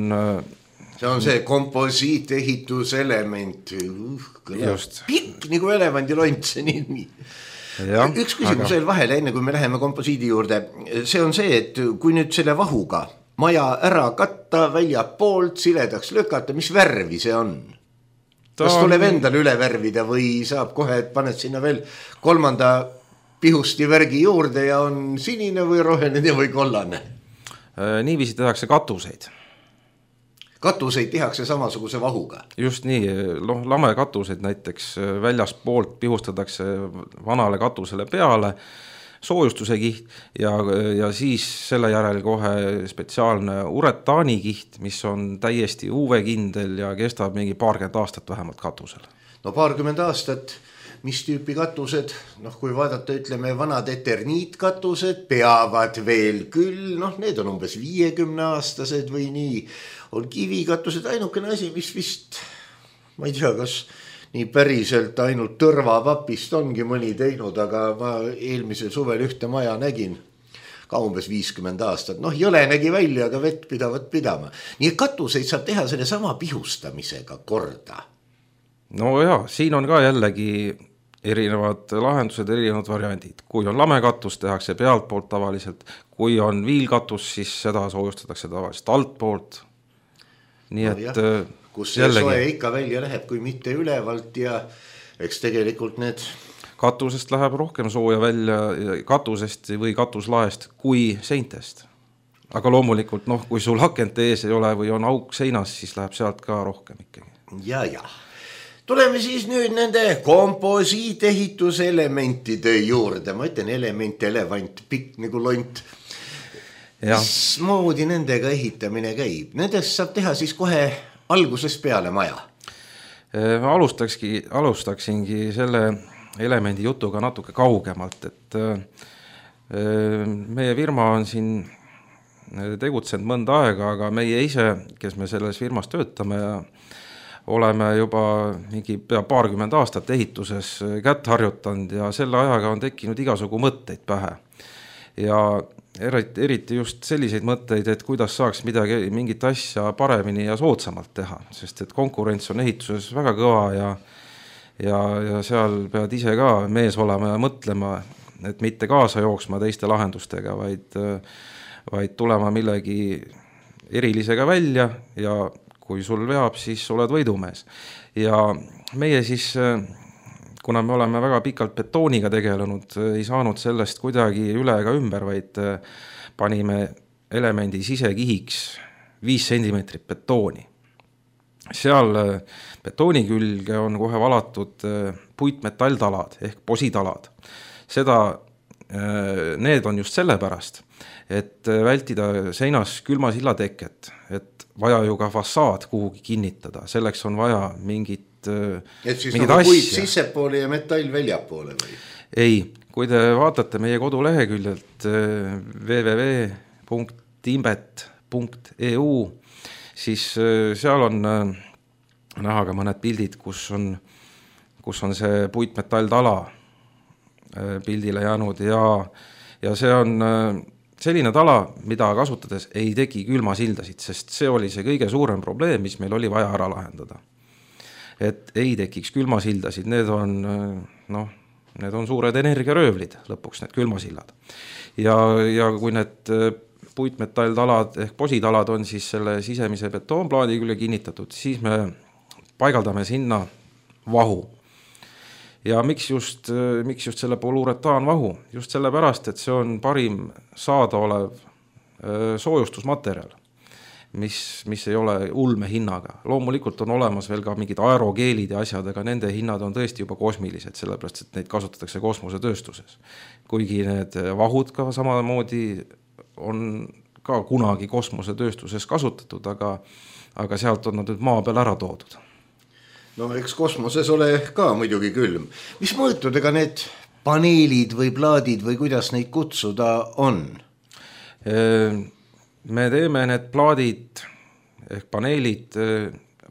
S3: See on see komposiiteehituselement. Pikk nagu elevandilont, see nii. Ja, üks küsimus veel vahele, enne kui me läheme komposiidi juurde. See on see, et kui nüüd selle vahuga maja ära katta, välja poolt, siledaks lükata, mis värvi see on? Kas tuleb endale üle värvida või saab kohe, et paned sinna veel 3. pihusti värgi juurde ja on sinine või roheline või kollane?
S4: Niiviisi tehakse katuseid.
S3: Katuseid tehakse samasuguse vahuga?
S4: Just nii, lame katuseid näiteks väljaspoolt pihustatakse vanale katusele peale, soojustuse kiht ja siis selle järel kohe spetsiaalne uretaanikiht, mis on täiesti UV-kindel ja kestab mingi 20 aastat vähemalt katusel.
S3: No 20 aastat, mis tüüpi katused, kui vaadata, ütleme, vanad eterniitkatused peavad veel küll, need on umbes 50-aastased või nii, on kivikatused, ainukene asi, mis vist, ma ei tea, kas nii päriselt ainult tõrvapapist ongi mõni teinud, aga ma eelmisel suvel ühte maja nägin ka umbes 50 aastat. Jõle nägi välja, aga vett pidavat pidama. Nii et katuseid saab teha selle sama pihustamisega korda.
S4: No jaa, siin on ka jällegi erinevad lahendused, erinevad variandid. Kui on lamekatus, tehakse pealt poolt tavaliselt. Kui on viilkatus, siis seda soojustatakse tavaliselt alt poolt. Nii et
S3: kus see soe ikka välja läheb, kui mitte ülevalt ja eks tegelikult need...
S4: Katusest läheb rohkem sooja välja katusest või katuslaest kui seintest. Aga loomulikult, kui sul akent ees ei ole või on auk seinas, siis läheb sealt ka rohkem ikkagi.
S3: Ja. Tuleme siis nüüd nende komposiitehituseelementide juurde. Ma ütlen element, elevant, pikk nagu lont. Mismoodi nendega ehitamine käib? Nendest saab teha siis kohe algusest peale maja.
S4: Alustaksingi selle elemendi jutuga natuke kaugemalt, et meie firma on siin tegutsenud mõnda aega, aga meie ise, kes me selles firmas töötame ja oleme juba mingi pea 20 aastat ehituses kätt harjutanud ja selle ajaga on tekkinud igasugu mõtteid pähe. Ja eriti just selliseid mõtteid, et kuidas saaks mingit asja paremini ja soodsamalt teha, sest et konkurents on ehituses väga kõva ja seal pead ise ka mees olema ja mõtlema, et mitte kaasa jooksma teiste lahendustega, vaid tulema millegi erilisega välja ja kui sul veab, siis oled võidumees. Ja meie siis, kuna me oleme väga pikalt betooniga tegelenud, ei saanud sellest kuidagi üle ega ümber, vaid panime elemendi sisekihiks 5 sentimeetrit betooni. Seal betooni külge on kohe valatud puitmetalltalad ehk positalad. Need on just sellepärast, et vältida seinas külmasilla teket, et vaja ju ka fassaad kuhugi kinnitada, selleks on vaja mingit
S3: et siis nagu puit sissepoole ja metall väljapoole või?
S4: Ei, kui te vaatate meie koduleheküljelt www.imbet.eu, siis seal on näha ka mõned pildid, kus on see puitmetalltala pildile jäänud ja see on selline tala, mida kasutades ei teki külmasildasid, sest see oli see kõige suurem probleem, mis meil oli vaja ära lahendada. Et ei tekiks külmasildasid, need on suured energiaröövlid lõpuks, need külmasillad. Ja kui need puitmetalltalad ehk positalad on siis selle sisemise betoonplaadi külge kinnitatud, siis me paigaldame sinna vahu. Ja miks just selle poluuretaanvahu? Just sellepärast, et see on parim saadaolev soojustusmaterjal, mis ei ole ulme hinnaga. Loomulikult on olemas veel ka mingid aerogeelid ja asjad, aga nende hinnad on tõesti juba kosmilised, sellepärast, et neid kasutatakse kosmosetööstuses. Kuigi need vahud ka samamoodi on ka kunagi kosmosetööstuses kasutatud, aga sealt on nad nüüd maa peal ära toodud.
S3: No eks kosmoses ole ka muidugi külm. Mis mõõtudega need paneelid või plaadid või kuidas neid kutsuda on?
S4: Me teeme need plaadid ehk paneelid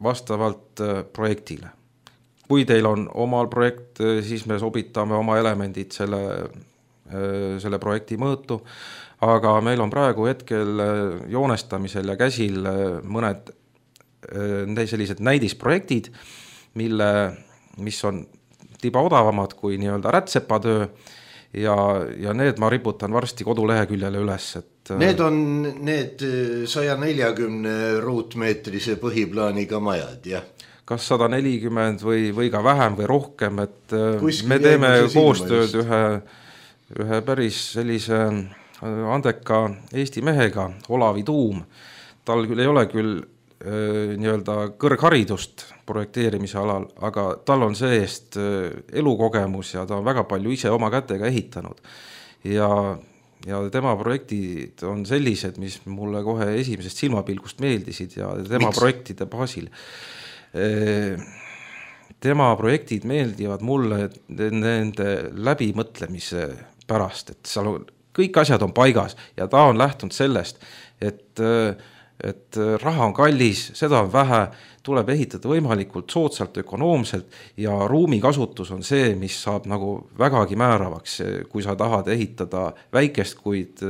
S4: vastavalt projektile. Kui teil on omal projekt, siis me sobitame oma elemendid selle projekti mõõtu, aga meil on praegu hetkel joonestamisel ja käsil mõned sellised näidisprojektid, mis on tiba odavamad kui nii-öelda rätsepatöö ja need ma riputan varsti koduleheküljele üles.
S3: Need on need 140 ruutmeetrise põhiplaaniga majad, jah?
S4: Kas 140 või ka vähem või rohkem, et me teeme koostööd ühe päris sellise andeka Eesti mehega, Olavi Tuum. Tal küll ei ole küll nii-öelda kõrgharidust projekteerimise alal, aga tal on see-eest elukogemus ja ta on väga palju ise oma kätega ehitanud. Ja tema projektid on sellised, mis mulle kohe esimesest silmapilgust meeldisid ja tema projektide baasil. Tema projektid meeldivad mulle nende läbimõtlemise pärast, et seal on, kõik asjad on paigas ja ta on lähtunud sellest, et raha on kallis, seda on vähe, tuleb ehitada võimalikult soodsalt, ökonoomselt ja ruumikasutus on see, mis saab nagu vägagi määravaks, kui sa tahad ehitada väikest, kuid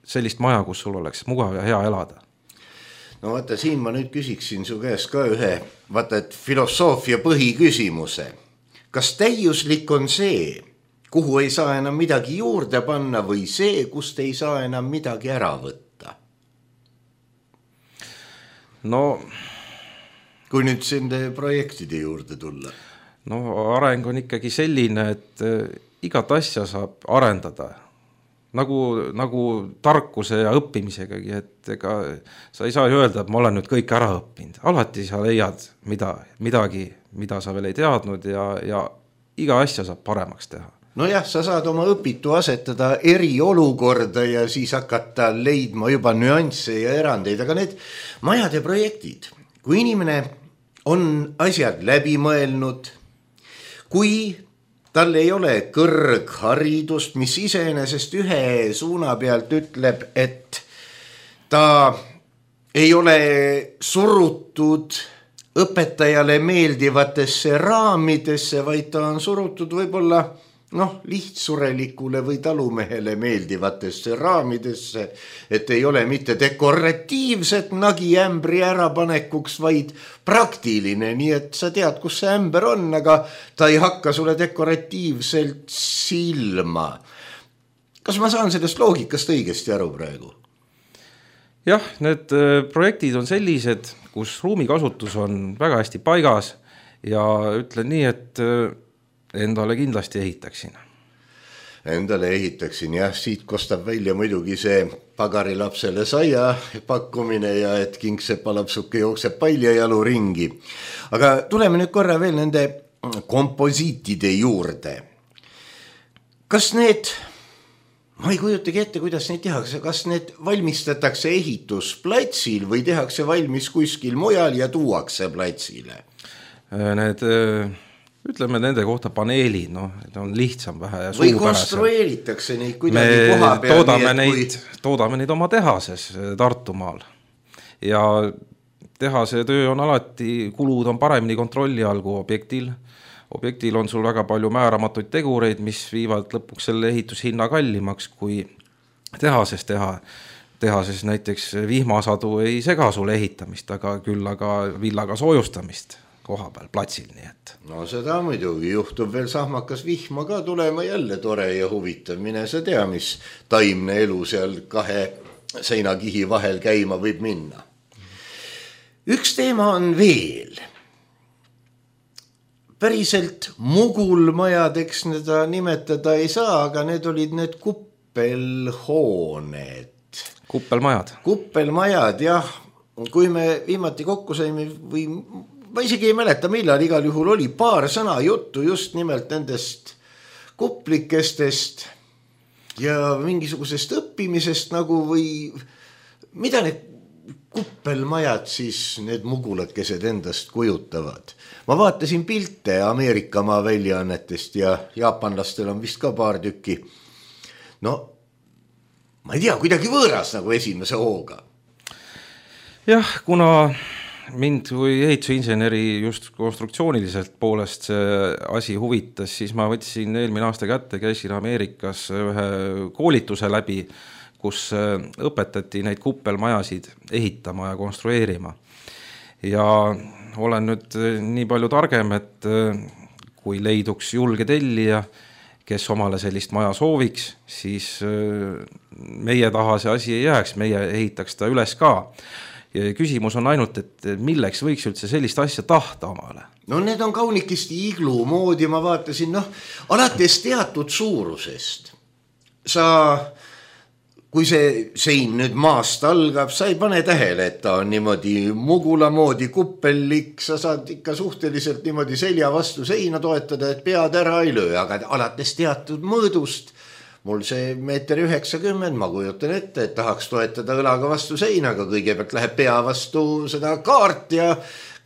S4: sellist maja, kus sul oleks mugav ja hea elada.
S3: No vaata, siin ma nüüd küsiksin su käest ka ühe, vaata, et filosoofia põhiküsimuse. Kas täiuslik on see, kuhu ei saa enam midagi juurde panna või see, kust ei saa enam midagi ära võtta?
S4: No,
S3: kui nüüd sende projektide juurde tulla?
S4: No areng on ikkagi selline, et igat asja saab arendada. Nagu tarkuse ja õppimisegagi, et ega sa ei saa öelda, et ma olen nüüd kõik ära õppinud. Alati sa leiad midagi, mida sa veel ei teadnud ja iga asja saab paremaks teha.
S3: No jah, sa saad oma õpitu asetada eriolukorda ja siis hakata leidma juba nüansse ja erandeid, aga need majade projektid, kui inimene on asjad läbi mõelnud, kui tal ei ole kõrgharidust, mis iseenesest ühe suuna pealt ütleb, et ta ei ole surutud õpetajale meeldivatesse raamidesse, vaid ta on surutud võib-olla lihtsurelikule või talumehele meeldivatesse raamidesse, et ei ole mitte dekoratiivset nagiämbri ärapanekuks, vaid praktiline, nii et sa tead, kus see ämber on, aga ta ei hakka sulle dekoratiivselt silma. Kas ma saan sellest loogikast õigesti aru praegu?
S4: Jah, need projektid on sellised, kus ruumikasutus on väga hästi paigas ja ütlen nii, et endale kindlasti ehitaksin.
S3: Endale ehitaksin, jah, siit kostab välja muidugi see pagarilapsele saia pakkumine ja et kingseppalapsuke jookseb paljajalu ringi. Aga tuleme nüüd korra veel nende komposiitide juurde. Kas need, ma ei kujutagi ette, kuidas neid tehakse, kas need valmistatakse ehitusplatsil või tehakse valmis kuskil mujal ja tuuakse platsile?
S4: Need ütleme nende kohta paneelid, on lihtsam vähe ja
S3: või konstrueeritakse neid kuidagi koha peal.
S4: Toodame neid oma tehases Tartumaal ja tehase töö on alati, kulud on paremini kontrolli all kui objektil. Objektil on sul väga palju määramatuid tegureid, mis viivad lõpuks selle ehitushinna kallimaks kui tehases teha. Tehases näiteks vihmasadu ei sega sulle ehitamist, aga küll villaga soojustamist koha peal platsil, nii et.
S3: No seda muidugi juhtub veel sahmakas vihma ka tulema, jälle tore ja huvitav. Mine sa tea, mis taimne elu seal kahe seinakihi vahel käima võib minna. Üks teema on veel. Päriselt mugulmajadeks seda nimetada ei saa, aga need olid need kuppelhooned. Kuppelmajad, jah. Kui me viimati kokku saime või ma isegi ei mäleta, millal igal juhul oli paar sõna juttu just nimelt nendest kuplikestest ja mingisugusest õppimisest nagu või mida need kuppelmajad siis, need mugulakesed endast kujutavad. Ma vaatasin pilte Ameerikamaa väljaannetest ja jaapanlastel on vist ka paar tükki. No, ma ei tea, kuidagi võõras nagu esimese hooga.
S4: Jah, kuna mind kui ehitusinseneri just konstruktsiooniliselt poolest see asi huvitas, siis ma võtsin eelmine aasta kätte, käisin Ameerikas ühe koolituse läbi, kus õpetati neid kuppelmajasid ehitama ja konstrueerima. Ja olen nüüd nii palju targem, et kui leiduks julge tellija, kes omale sellist maja sooviks, siis meie taha see asi ei jääks, meie ehitaks ta üles ka. Ja küsimus on ainult, et milleks võiks üldse sellist asja tahta omale?
S3: No need on kaunikesti iglu moodi, ma vaatasin, alates teatud suurusest. Sa kui see sein nüüd maast algab, sa ei pane tähele, et ta on niimoodi mugula moodi kuppellik, sa saad ikka suhteliselt niimoodi selja vastu seina toetada, et pead ära ei löö, aga alates teatud mõõdust, mul see 1,90 m, ma kujutan ette, et tahaks toetada õlaga vastu seina, aga kõigepealt läheb pea vastu seda kaart ja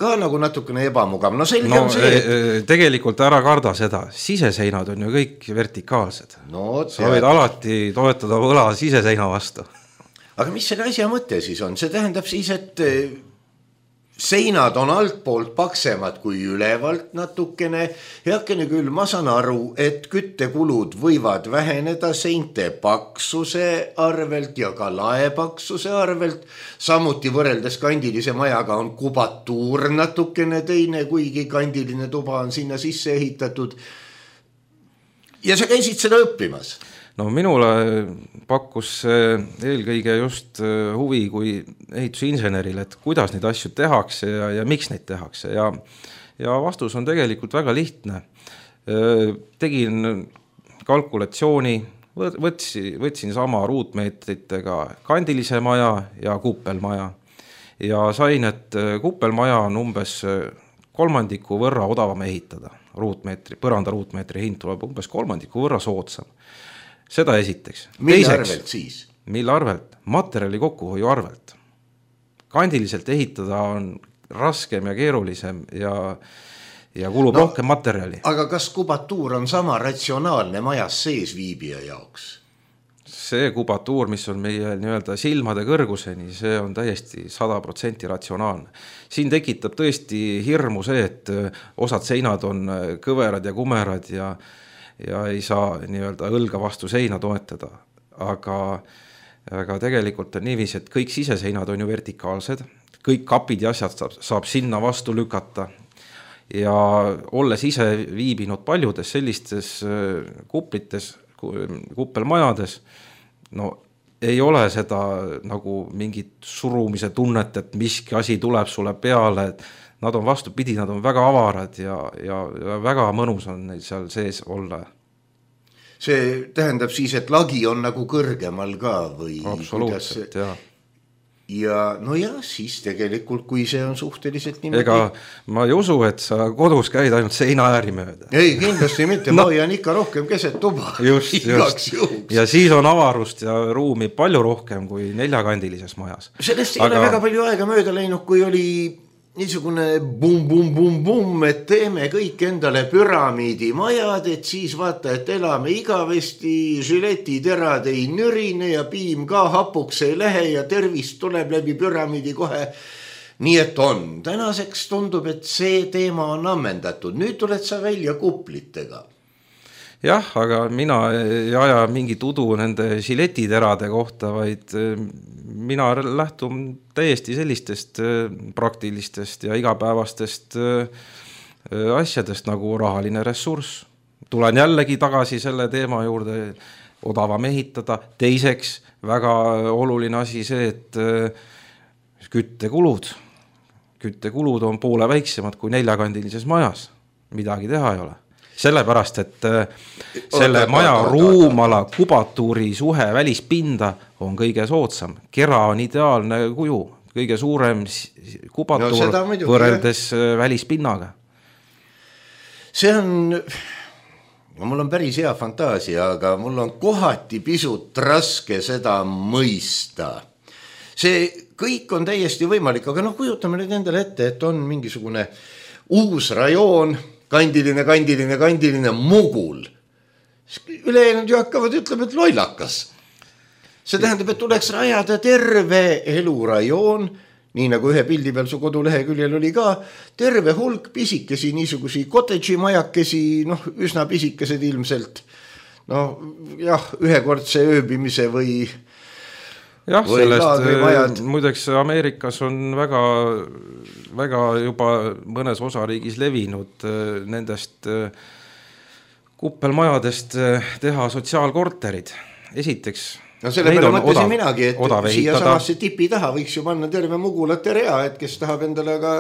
S3: ka nagu natukene ebamugav. No selge on see.
S4: Tegelikult ära karda seda, siseseinad on ju kõik vertikaalsed.
S3: No,
S4: sa võid alati toetada õla siseseina vastu.
S3: Aga mis selle asja mõte siis on? See tähendab siis, et seinad on altpoolt paksemad kui ülevalt natukene. Heakene küll, ma saan aru, et küttekulud võivad väheneda seinte paksuse arvelt ja ka laepaksuse arvelt. Samuti võrreldes kandilise majaga on kubatuur natukene teine, kuigi kandiline tuba on sinna sisse ehitatud. Ja sa käisid seda õppimas?
S4: No minule pakkus eelkõige just huvi kui ehitusinseneril, et kuidas neid asju tehakse ja miks neid tehakse. Ja vastus on tegelikult väga lihtne. Tegin kalkulatsiooni, võtsin sama ruutmeetritega kandilise maja ja kuppelmaja. Ja sain, et kuppelmaja on umbes kolmandiku võrra odavam ehitada. Põranda ruutmeetri hind tuleb umbes kolmandiku võrra soodsam. Seda esiteks.
S3: Mille arvelt siis?
S4: Mille arvelt? Materjali kokkuhoiu arvelt. Kandiliselt ehitada on raskem ja keerulisem ja kulub rohkem materjali.
S3: Aga kas kubatuur on sama ratsionaalne majas sees viibija jaoks?
S4: See kubatuur, mis on meie nii-öelda silmade kõrguseni, see on täiesti 100% ratsionaalne. Siin tekitab tõesti hirmu see, et osad seinad on kõverad ja kumerad ja ei saa nii-öelda õlga vastu seina toetada. Aga tegelikult on niiviisi, et kõik siseseinad on ju vertikaalsed, kõik kapid ja asjad saab sinna vastu lükata. Ja olles ise viibinud paljudes sellistes kuplites, kuppelmajades, no ei ole seda nagu mingit surumise tunnet, et miski asi tuleb sulle peale, et nad on vastupidi, nad on väga avarad ja väga mõnus on neil seal sees olla.
S3: See tähendab siis, et lagi on nagu kõrgemal ka või?
S4: Absoluutselt, jah.
S3: Ja no ja siis tegelikult, kui see on suhteliselt niimoodi...
S4: Ega ma ei usu, et sa kodus käid ainult seina ääri mööda.
S3: Ei, kindlasti mitte, ma hoian ikka rohkem keset tuba.
S4: Just. Ja siis on avarust ja ruumi palju rohkem kui 4-kandilises majas.
S3: Sellest ei ole väga palju aega mööda läinud, kui oli niisugune bum, et teeme kõik endale püramiidi majad, et siis vaata, et elame igavesti, žiletiterad ei nürine ja piim ka hapuks ei lähe ja tervist tuleb läbi püramiidi kohe. Nii et on. Tänaseks tundub, et see teema on ammendatud. Nüüd tuled sa välja kuplitega.
S4: Jah, aga mina ei aja mingit udu nende žiletiterade kohta, vaid mina lähtun täiesti sellistest praktilistest ja igapäevastest asjadest nagu rahaline ressurss. Tulen jällegi tagasi selle teema juurde, odavam ehitada. Teiseks väga oluline asi see, et küttekulud on poole väiksemad kui 4-kandilises majas. Midagi teha ei ole. Sellepärast, et selle maja ruumala kubatuuri suhe välispinda on kõige soodsam. Kera on ideaalne kuju, kõige suurem kubatuur võrreldes välispinnaga.
S3: See on, mul on päris hea fantaasia, aga mul on kohati pisut raske seda mõista. See kõik on täiesti võimalik, aga kujutame nüüd endale ette, et on mingisugune uus rajoon, kandiline mugul. Ülejäänud ju hakkavad ütlema, et lollakas. See tähendab, et tuleks rajada terve elurajoon, nii nagu ühe pildi peal su koduleheküljel oli ka, terve hulk pisikesi niisugusi cottage'i majakesi, üsna pisikesed ilmselt. Ühekordse ööbimise või...
S4: Jah, sellest muideks Ameerikas on väga juba mõnes osariigis levinud nendest kuppelmajadest teha sotsiaalkorterid. Esiteks,
S3: selle peale mõtlesin minagi, et siia samasse tipi taha võiks ju panna terve mugulate rea, et kes tahab endale ka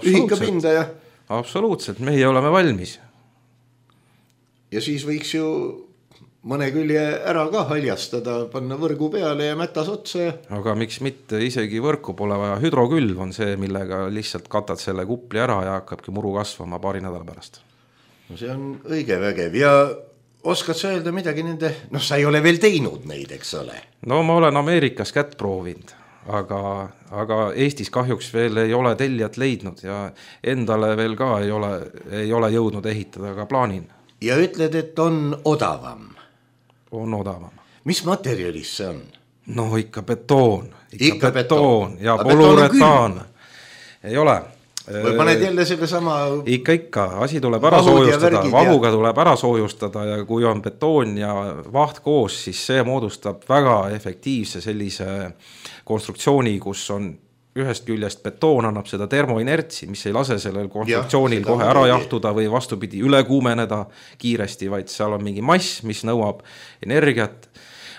S3: ühika pinda ja...
S4: Absoluutselt, meie oleme valmis.
S3: Ja siis võiks ju mõne külje ära ka haljastada, panna võrgu peale ja mätas otsa.
S4: Aga miks mitte, isegi võrku pole vaja, hüdrokülv on see, millega lihtsalt katad selle kupli ära ja hakkabki muru kasvama paari nädala pärast.
S3: No see on õige vägev ja oskad sa öelda midagi nende, sa ei ole veel teinud neid, eks ole?
S4: No ma olen Ameerikas kätt proovinud, aga Eestis kahjuks veel ei ole tellijat leidnud ja endale veel ka ei ole jõudnud ehitada, aga plaanin.
S3: Ja ütled, et on odavam?
S4: On odavam.
S3: Mis materjalis see on?
S4: No ikka betoon. Ikka betoon ja polüretaan. Ei ole.
S3: Või paned jälle selle sama...
S4: Ikka, asi tuleb ära soojustada, vahuga tuleb ära soojustada ja kui on betoon ja vaht koos, siis see moodustab väga efektiivse sellise konstruktsiooni, kus on ühest küljest betoon annab seda termoinertsi, mis ei lase sellel konstruktsioonil kohe ära jahtuda või vastupidi üle kuumeneda kiiresti, vaid seal on mingi mass, mis nõuab energiat,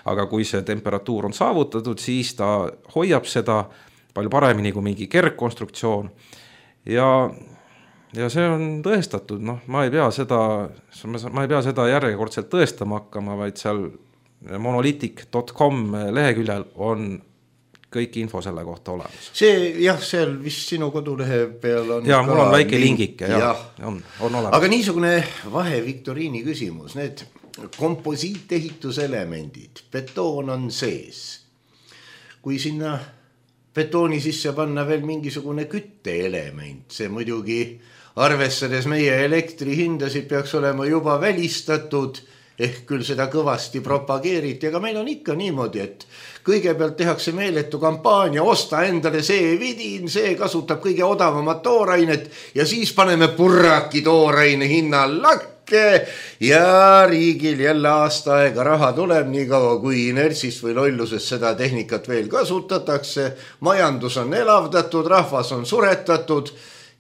S4: aga kui see temperatuur on saavutatud, siis ta hoiab seda palju paremini kui mingi kergkonstruktsioon. Ja see on tõestatud, ma ei pea seda järjekordselt tõestama hakkama, vaid seal monolithic.com leheküljel on kõik info selle kohta olemas.
S3: Seal vist sinu kodulehe peal on
S4: ja mul on väike lingike, on olemas.
S3: Aga niisugune vaheviktoriini küsimus, need komposiiteehituselemendid, betoon on sees. Kui sinna betooni sisse panna veel mingisugune kütteelement, see muidugi arvestades meie elektrihindasid peaks olema juba välistatud, ehk küll seda kõvasti propageeriti, aga meil on ikka niimoodi, et kõigepealt tehakse meeletu kampaania, osta endale see vidin, see kasutab kõige odavamat toorainet ja siis paneme purraki tooraine hinna lakke ja riigil jälle aasta aega raha tuleb nii kaua, kui inertsist või lollusest seda tehnikat veel kasutatakse, majandus on elavdatud, rahvas on suretatud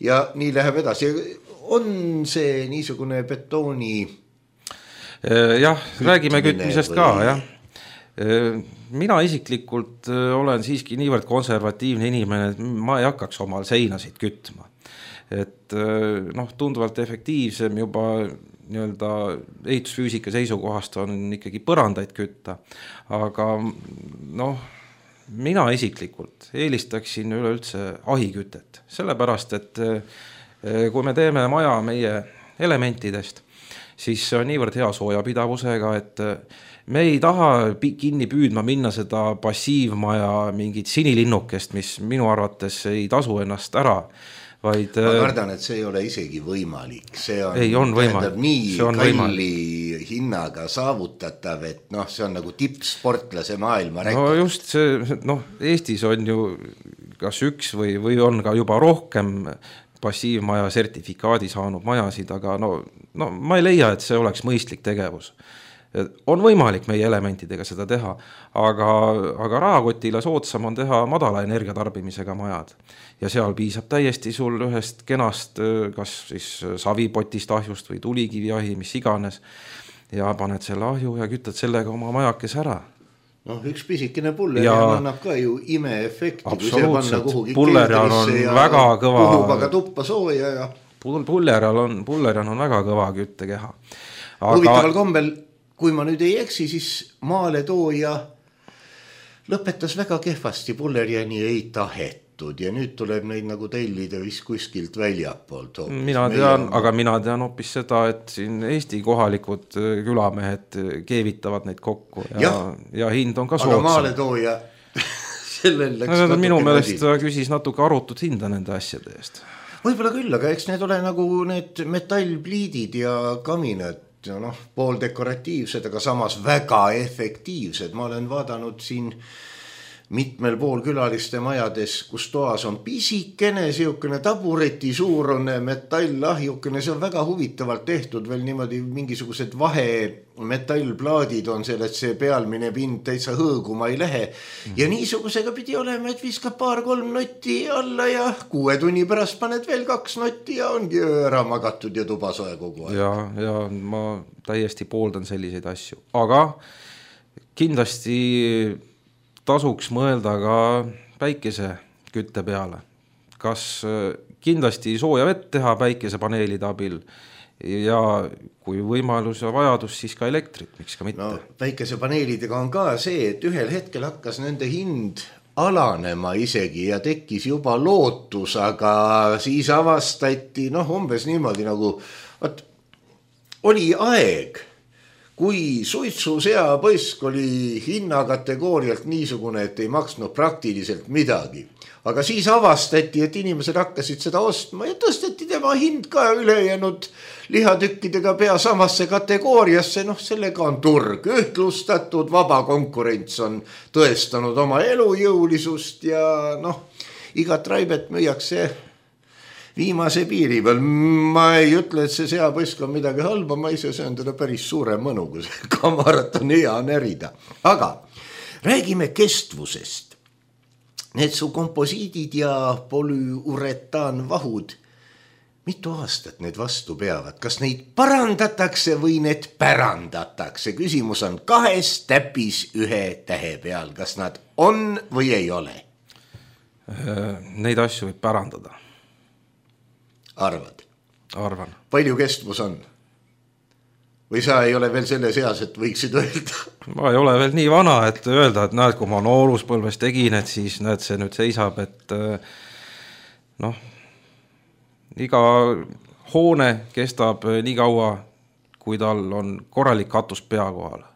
S3: ja nii läheb edasi. On see niisugune betooni...
S4: Jah, räägime kütmisest ka, jah. Mina isiklikult olen siiski niivõrd konservatiivne inimene, et ma ei hakkaks omal seinasid kütma. Et tunduvalt efektiivsem juba ehitusfüüsika seisukohast on ikkagi põrandaid kütta. Aga mina isiklikult eelistaksin üleüldse ahikütet. Sellepärast, et kui me teeme maja meie elementidest, siis see on niivõrd hea soojapidavusega, et me ei taha kinni püüdma minna seda passiivmaja mingit sinilinnukest, mis minu arvates ei tasu ennast ära. Vaid,
S3: ma kardan, et see ei ole isegi võimalik. See
S4: on
S3: võimalik. Nii kalli hinnaga saavutatav, et see on nagu tippsportlase maailma rekord.
S4: No just see, Eestis on ju kas üks või on ka juba rohkem passiivmaja sertifikaadi saanud majasid, aga ma ei leia, et see oleks mõistlik tegevus. On võimalik meie elementidega seda teha, aga rahakotile soodsam on teha madala energiatarbimisega majad. Ja seal piisab täiesti sul ühest kenast, kas siis savipotist ahjust või tulikiviahi, mis iganes, ja paned selle ahju ja kütad sellega oma majakes ära.
S3: Üks pisikene pullerjaan annab ka ju imeefekti.
S4: Absoluutselt, pullerjaan on väga kõva.
S3: Puhub aga tuppa sooja ja...
S4: Pullerjaan on väga kõva küttekeha.
S3: Huvitaval kombel, kui ma nüüd ei eksi, siis maaletooja lõpetas väga kehvasti, pullerjani ei tahetud ja nüüd tuleb neid nagu tellida vist kuskilt väljapoolt.
S4: Mina tean hoopis seda, et siin Eesti kohalikud külamehed keevitavad neid kokku ja hind on ka soodsam.
S3: Aga maaletooja sellel läks
S4: minu meelest ta küsis natuke arutut hinda nende asjade eest.
S3: Võib-olla küll, aga eks need ole nagu need metallpliidid ja kaminad, pool dekoratiivsed, aga samas väga efektiivsed. Ma olen vaadanud siin mitmel pool külaliste majades, kus toas on pisikene, siukene tabureti suurune metallahjukene, see on väga huvitavalt tehtud, veel niimoodi mingisugused vahemetallplaadid on seal, et see pealmine pind täitsa hõõguma ei lähe. Ja niisugusega pidi olema, et viskab 2-3 notti alla ja 6 tunni pärast paned veel 2 notti ja ongi ära magatud ja tuba soe kogu aeg.
S4: Ja ma täiesti pooldan selliseid asju, aga kindlasti tasuks mõelda ka päikese kütte peale. Kas kindlasti sooja vett teha päikesepaneelide abil ja kui võimalus ja vajadus, siis ka elektrit, miks ka mitte.
S3: No, päikesepaneelidega on ka see, et ühel hetkel hakkas nende hind alanema isegi ja tekkis juba lootus, aga siis avastati, umbes niimoodi nagu, oli aeg, kui suitsuseapõsk oli hinnakategoorialt niisugune, et ei maksnud praktiliselt midagi. Aga siis avastati, et inimesed hakkasid seda ostma ja tõsteti tema hind ka ülejäänud lihatükkidega pea samasse kategooriasse. Sellega on turg ühtlustatud, vaba konkurents on tõestanud oma elujõulisust ja igat raibet müüakse viimase piiri peal. Ma ei ütle, et see seapõsk on midagi halba, ma ise söön teda päris suure mõnu, kui see kamarat on hea närida. Aga räägime kestvusest. Need su komposiidid ja polüuretaanvahud, mitu aastat need vastu peavad? Kas neid parandatakse või need pärandatakse? Küsimus on 2 täpis 1 tähe peal. Kas nad on või ei ole?
S4: Neid asju võib pärandada.
S3: Arvad?
S4: Arvan.
S3: Palju kestvus on? Või sa ei ole veel selle seas, et võiksid öelda?
S4: Ma ei ole veel nii vana, et öelda, et näed, kui ma nooruspõlves tegin, et siis näed, see nüüd seisab, et iga hoone kestab nii kaua, kui tal on korralik katus pea kohal.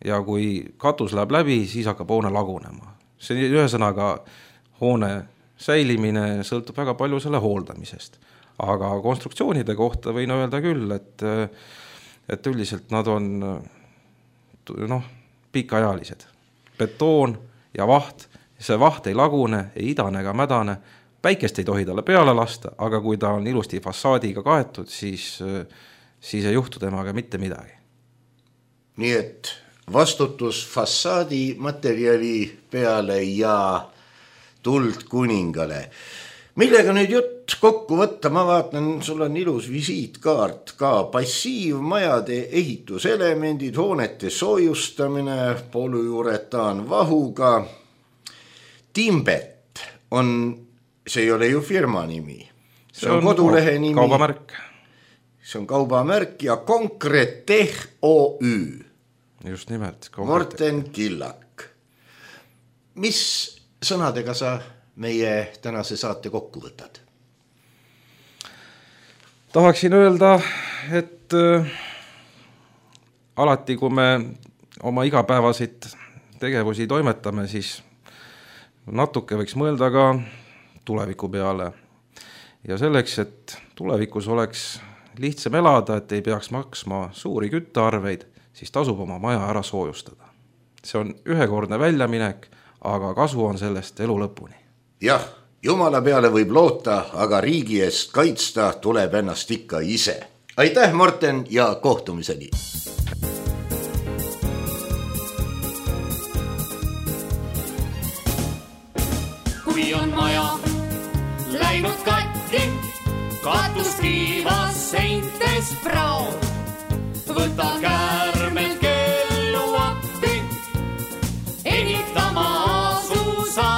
S4: Ja kui katus läheb läbi, siis hakkab hoone lagunema. See ühesõnaga hoone säilimine sõltub väga palju selle hooldamisest. Aga konstruktsioonide kohta võin öelda küll, et üldiselt nad on pikaajalised. Betoon ja vaht, see vaht ei lagune, ei idane ega mädane, päikest ei tohi talle peale lasta, aga kui ta on ilusti fassaadiga kaetud, siis ei juhtu temaga mitte midagi.
S3: Nii et vastutus fassaadi materjali peale ja tuld kuningale. Millega nüüd jutt kokku võtta, ma vaatan, sul on ilus visiitkaart ka, passiivmajade ehituselemendid, hoonete soojustamine, polüuretaanvahuga. Timbet on, see ei ole ju firma nimi, see on kodulehe nimi.
S4: Kaubamärk.
S3: See on kaubamärk ja Konkretech OÜ.
S4: Just nimelt.
S3: Morten Killak. Mis sõnadega sa meie tänase saate kokku võtad?
S4: Tahaksin öelda, et alati, kui me oma igapäevasid tegevusi toimetame, siis natuke võiks mõelda ka tuleviku peale. Ja selleks, et tulevikus oleks lihtsam elada, et ei peaks maksma suuri küttearveid, siis tasub oma maja ära soojustada. See on ühekordne väljaminek, aga kasu on sellest elu lõpuni.
S3: Jah, Jumala peale võib loota, aga riigi eest kaitsta tuleb ennast ikka ise. Aitäh, Morten, ja kohtumiseni!
S5: Kui on maja läinud katki, katus kiivas seintes prao, võta käärmel kellu appi, ehitama asusa.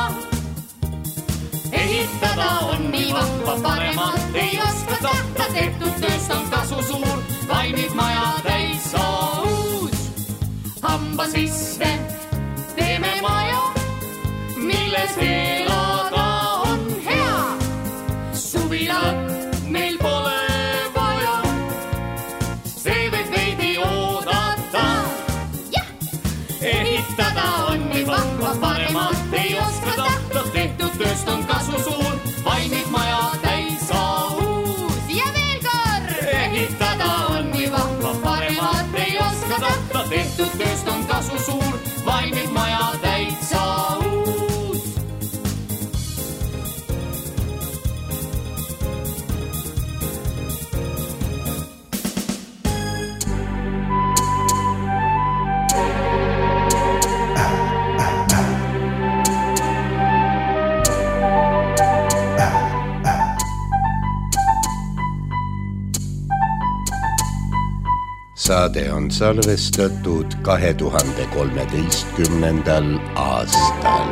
S5: Ehitada on nii vahva, paremat ei oska tahta, tehtud tööst on kasu suur, vaimib maja täitsa uus. Hamba sisse teeme maja, milles elada on hea. Suvilat meil pole vaja, see võib veidi oodata. Ehitada on nii vahva, paremat ei oska tahta, tehtud tööst on kasu suur, vaimib maja täitsa uus. Ja veel kord! Ehitada on nii vahva, paremat ei oska tahta, tehtud tööst on kasu suur, vaimib maja täitsa uus.
S3: Saade on salvestatud 2013. aastal.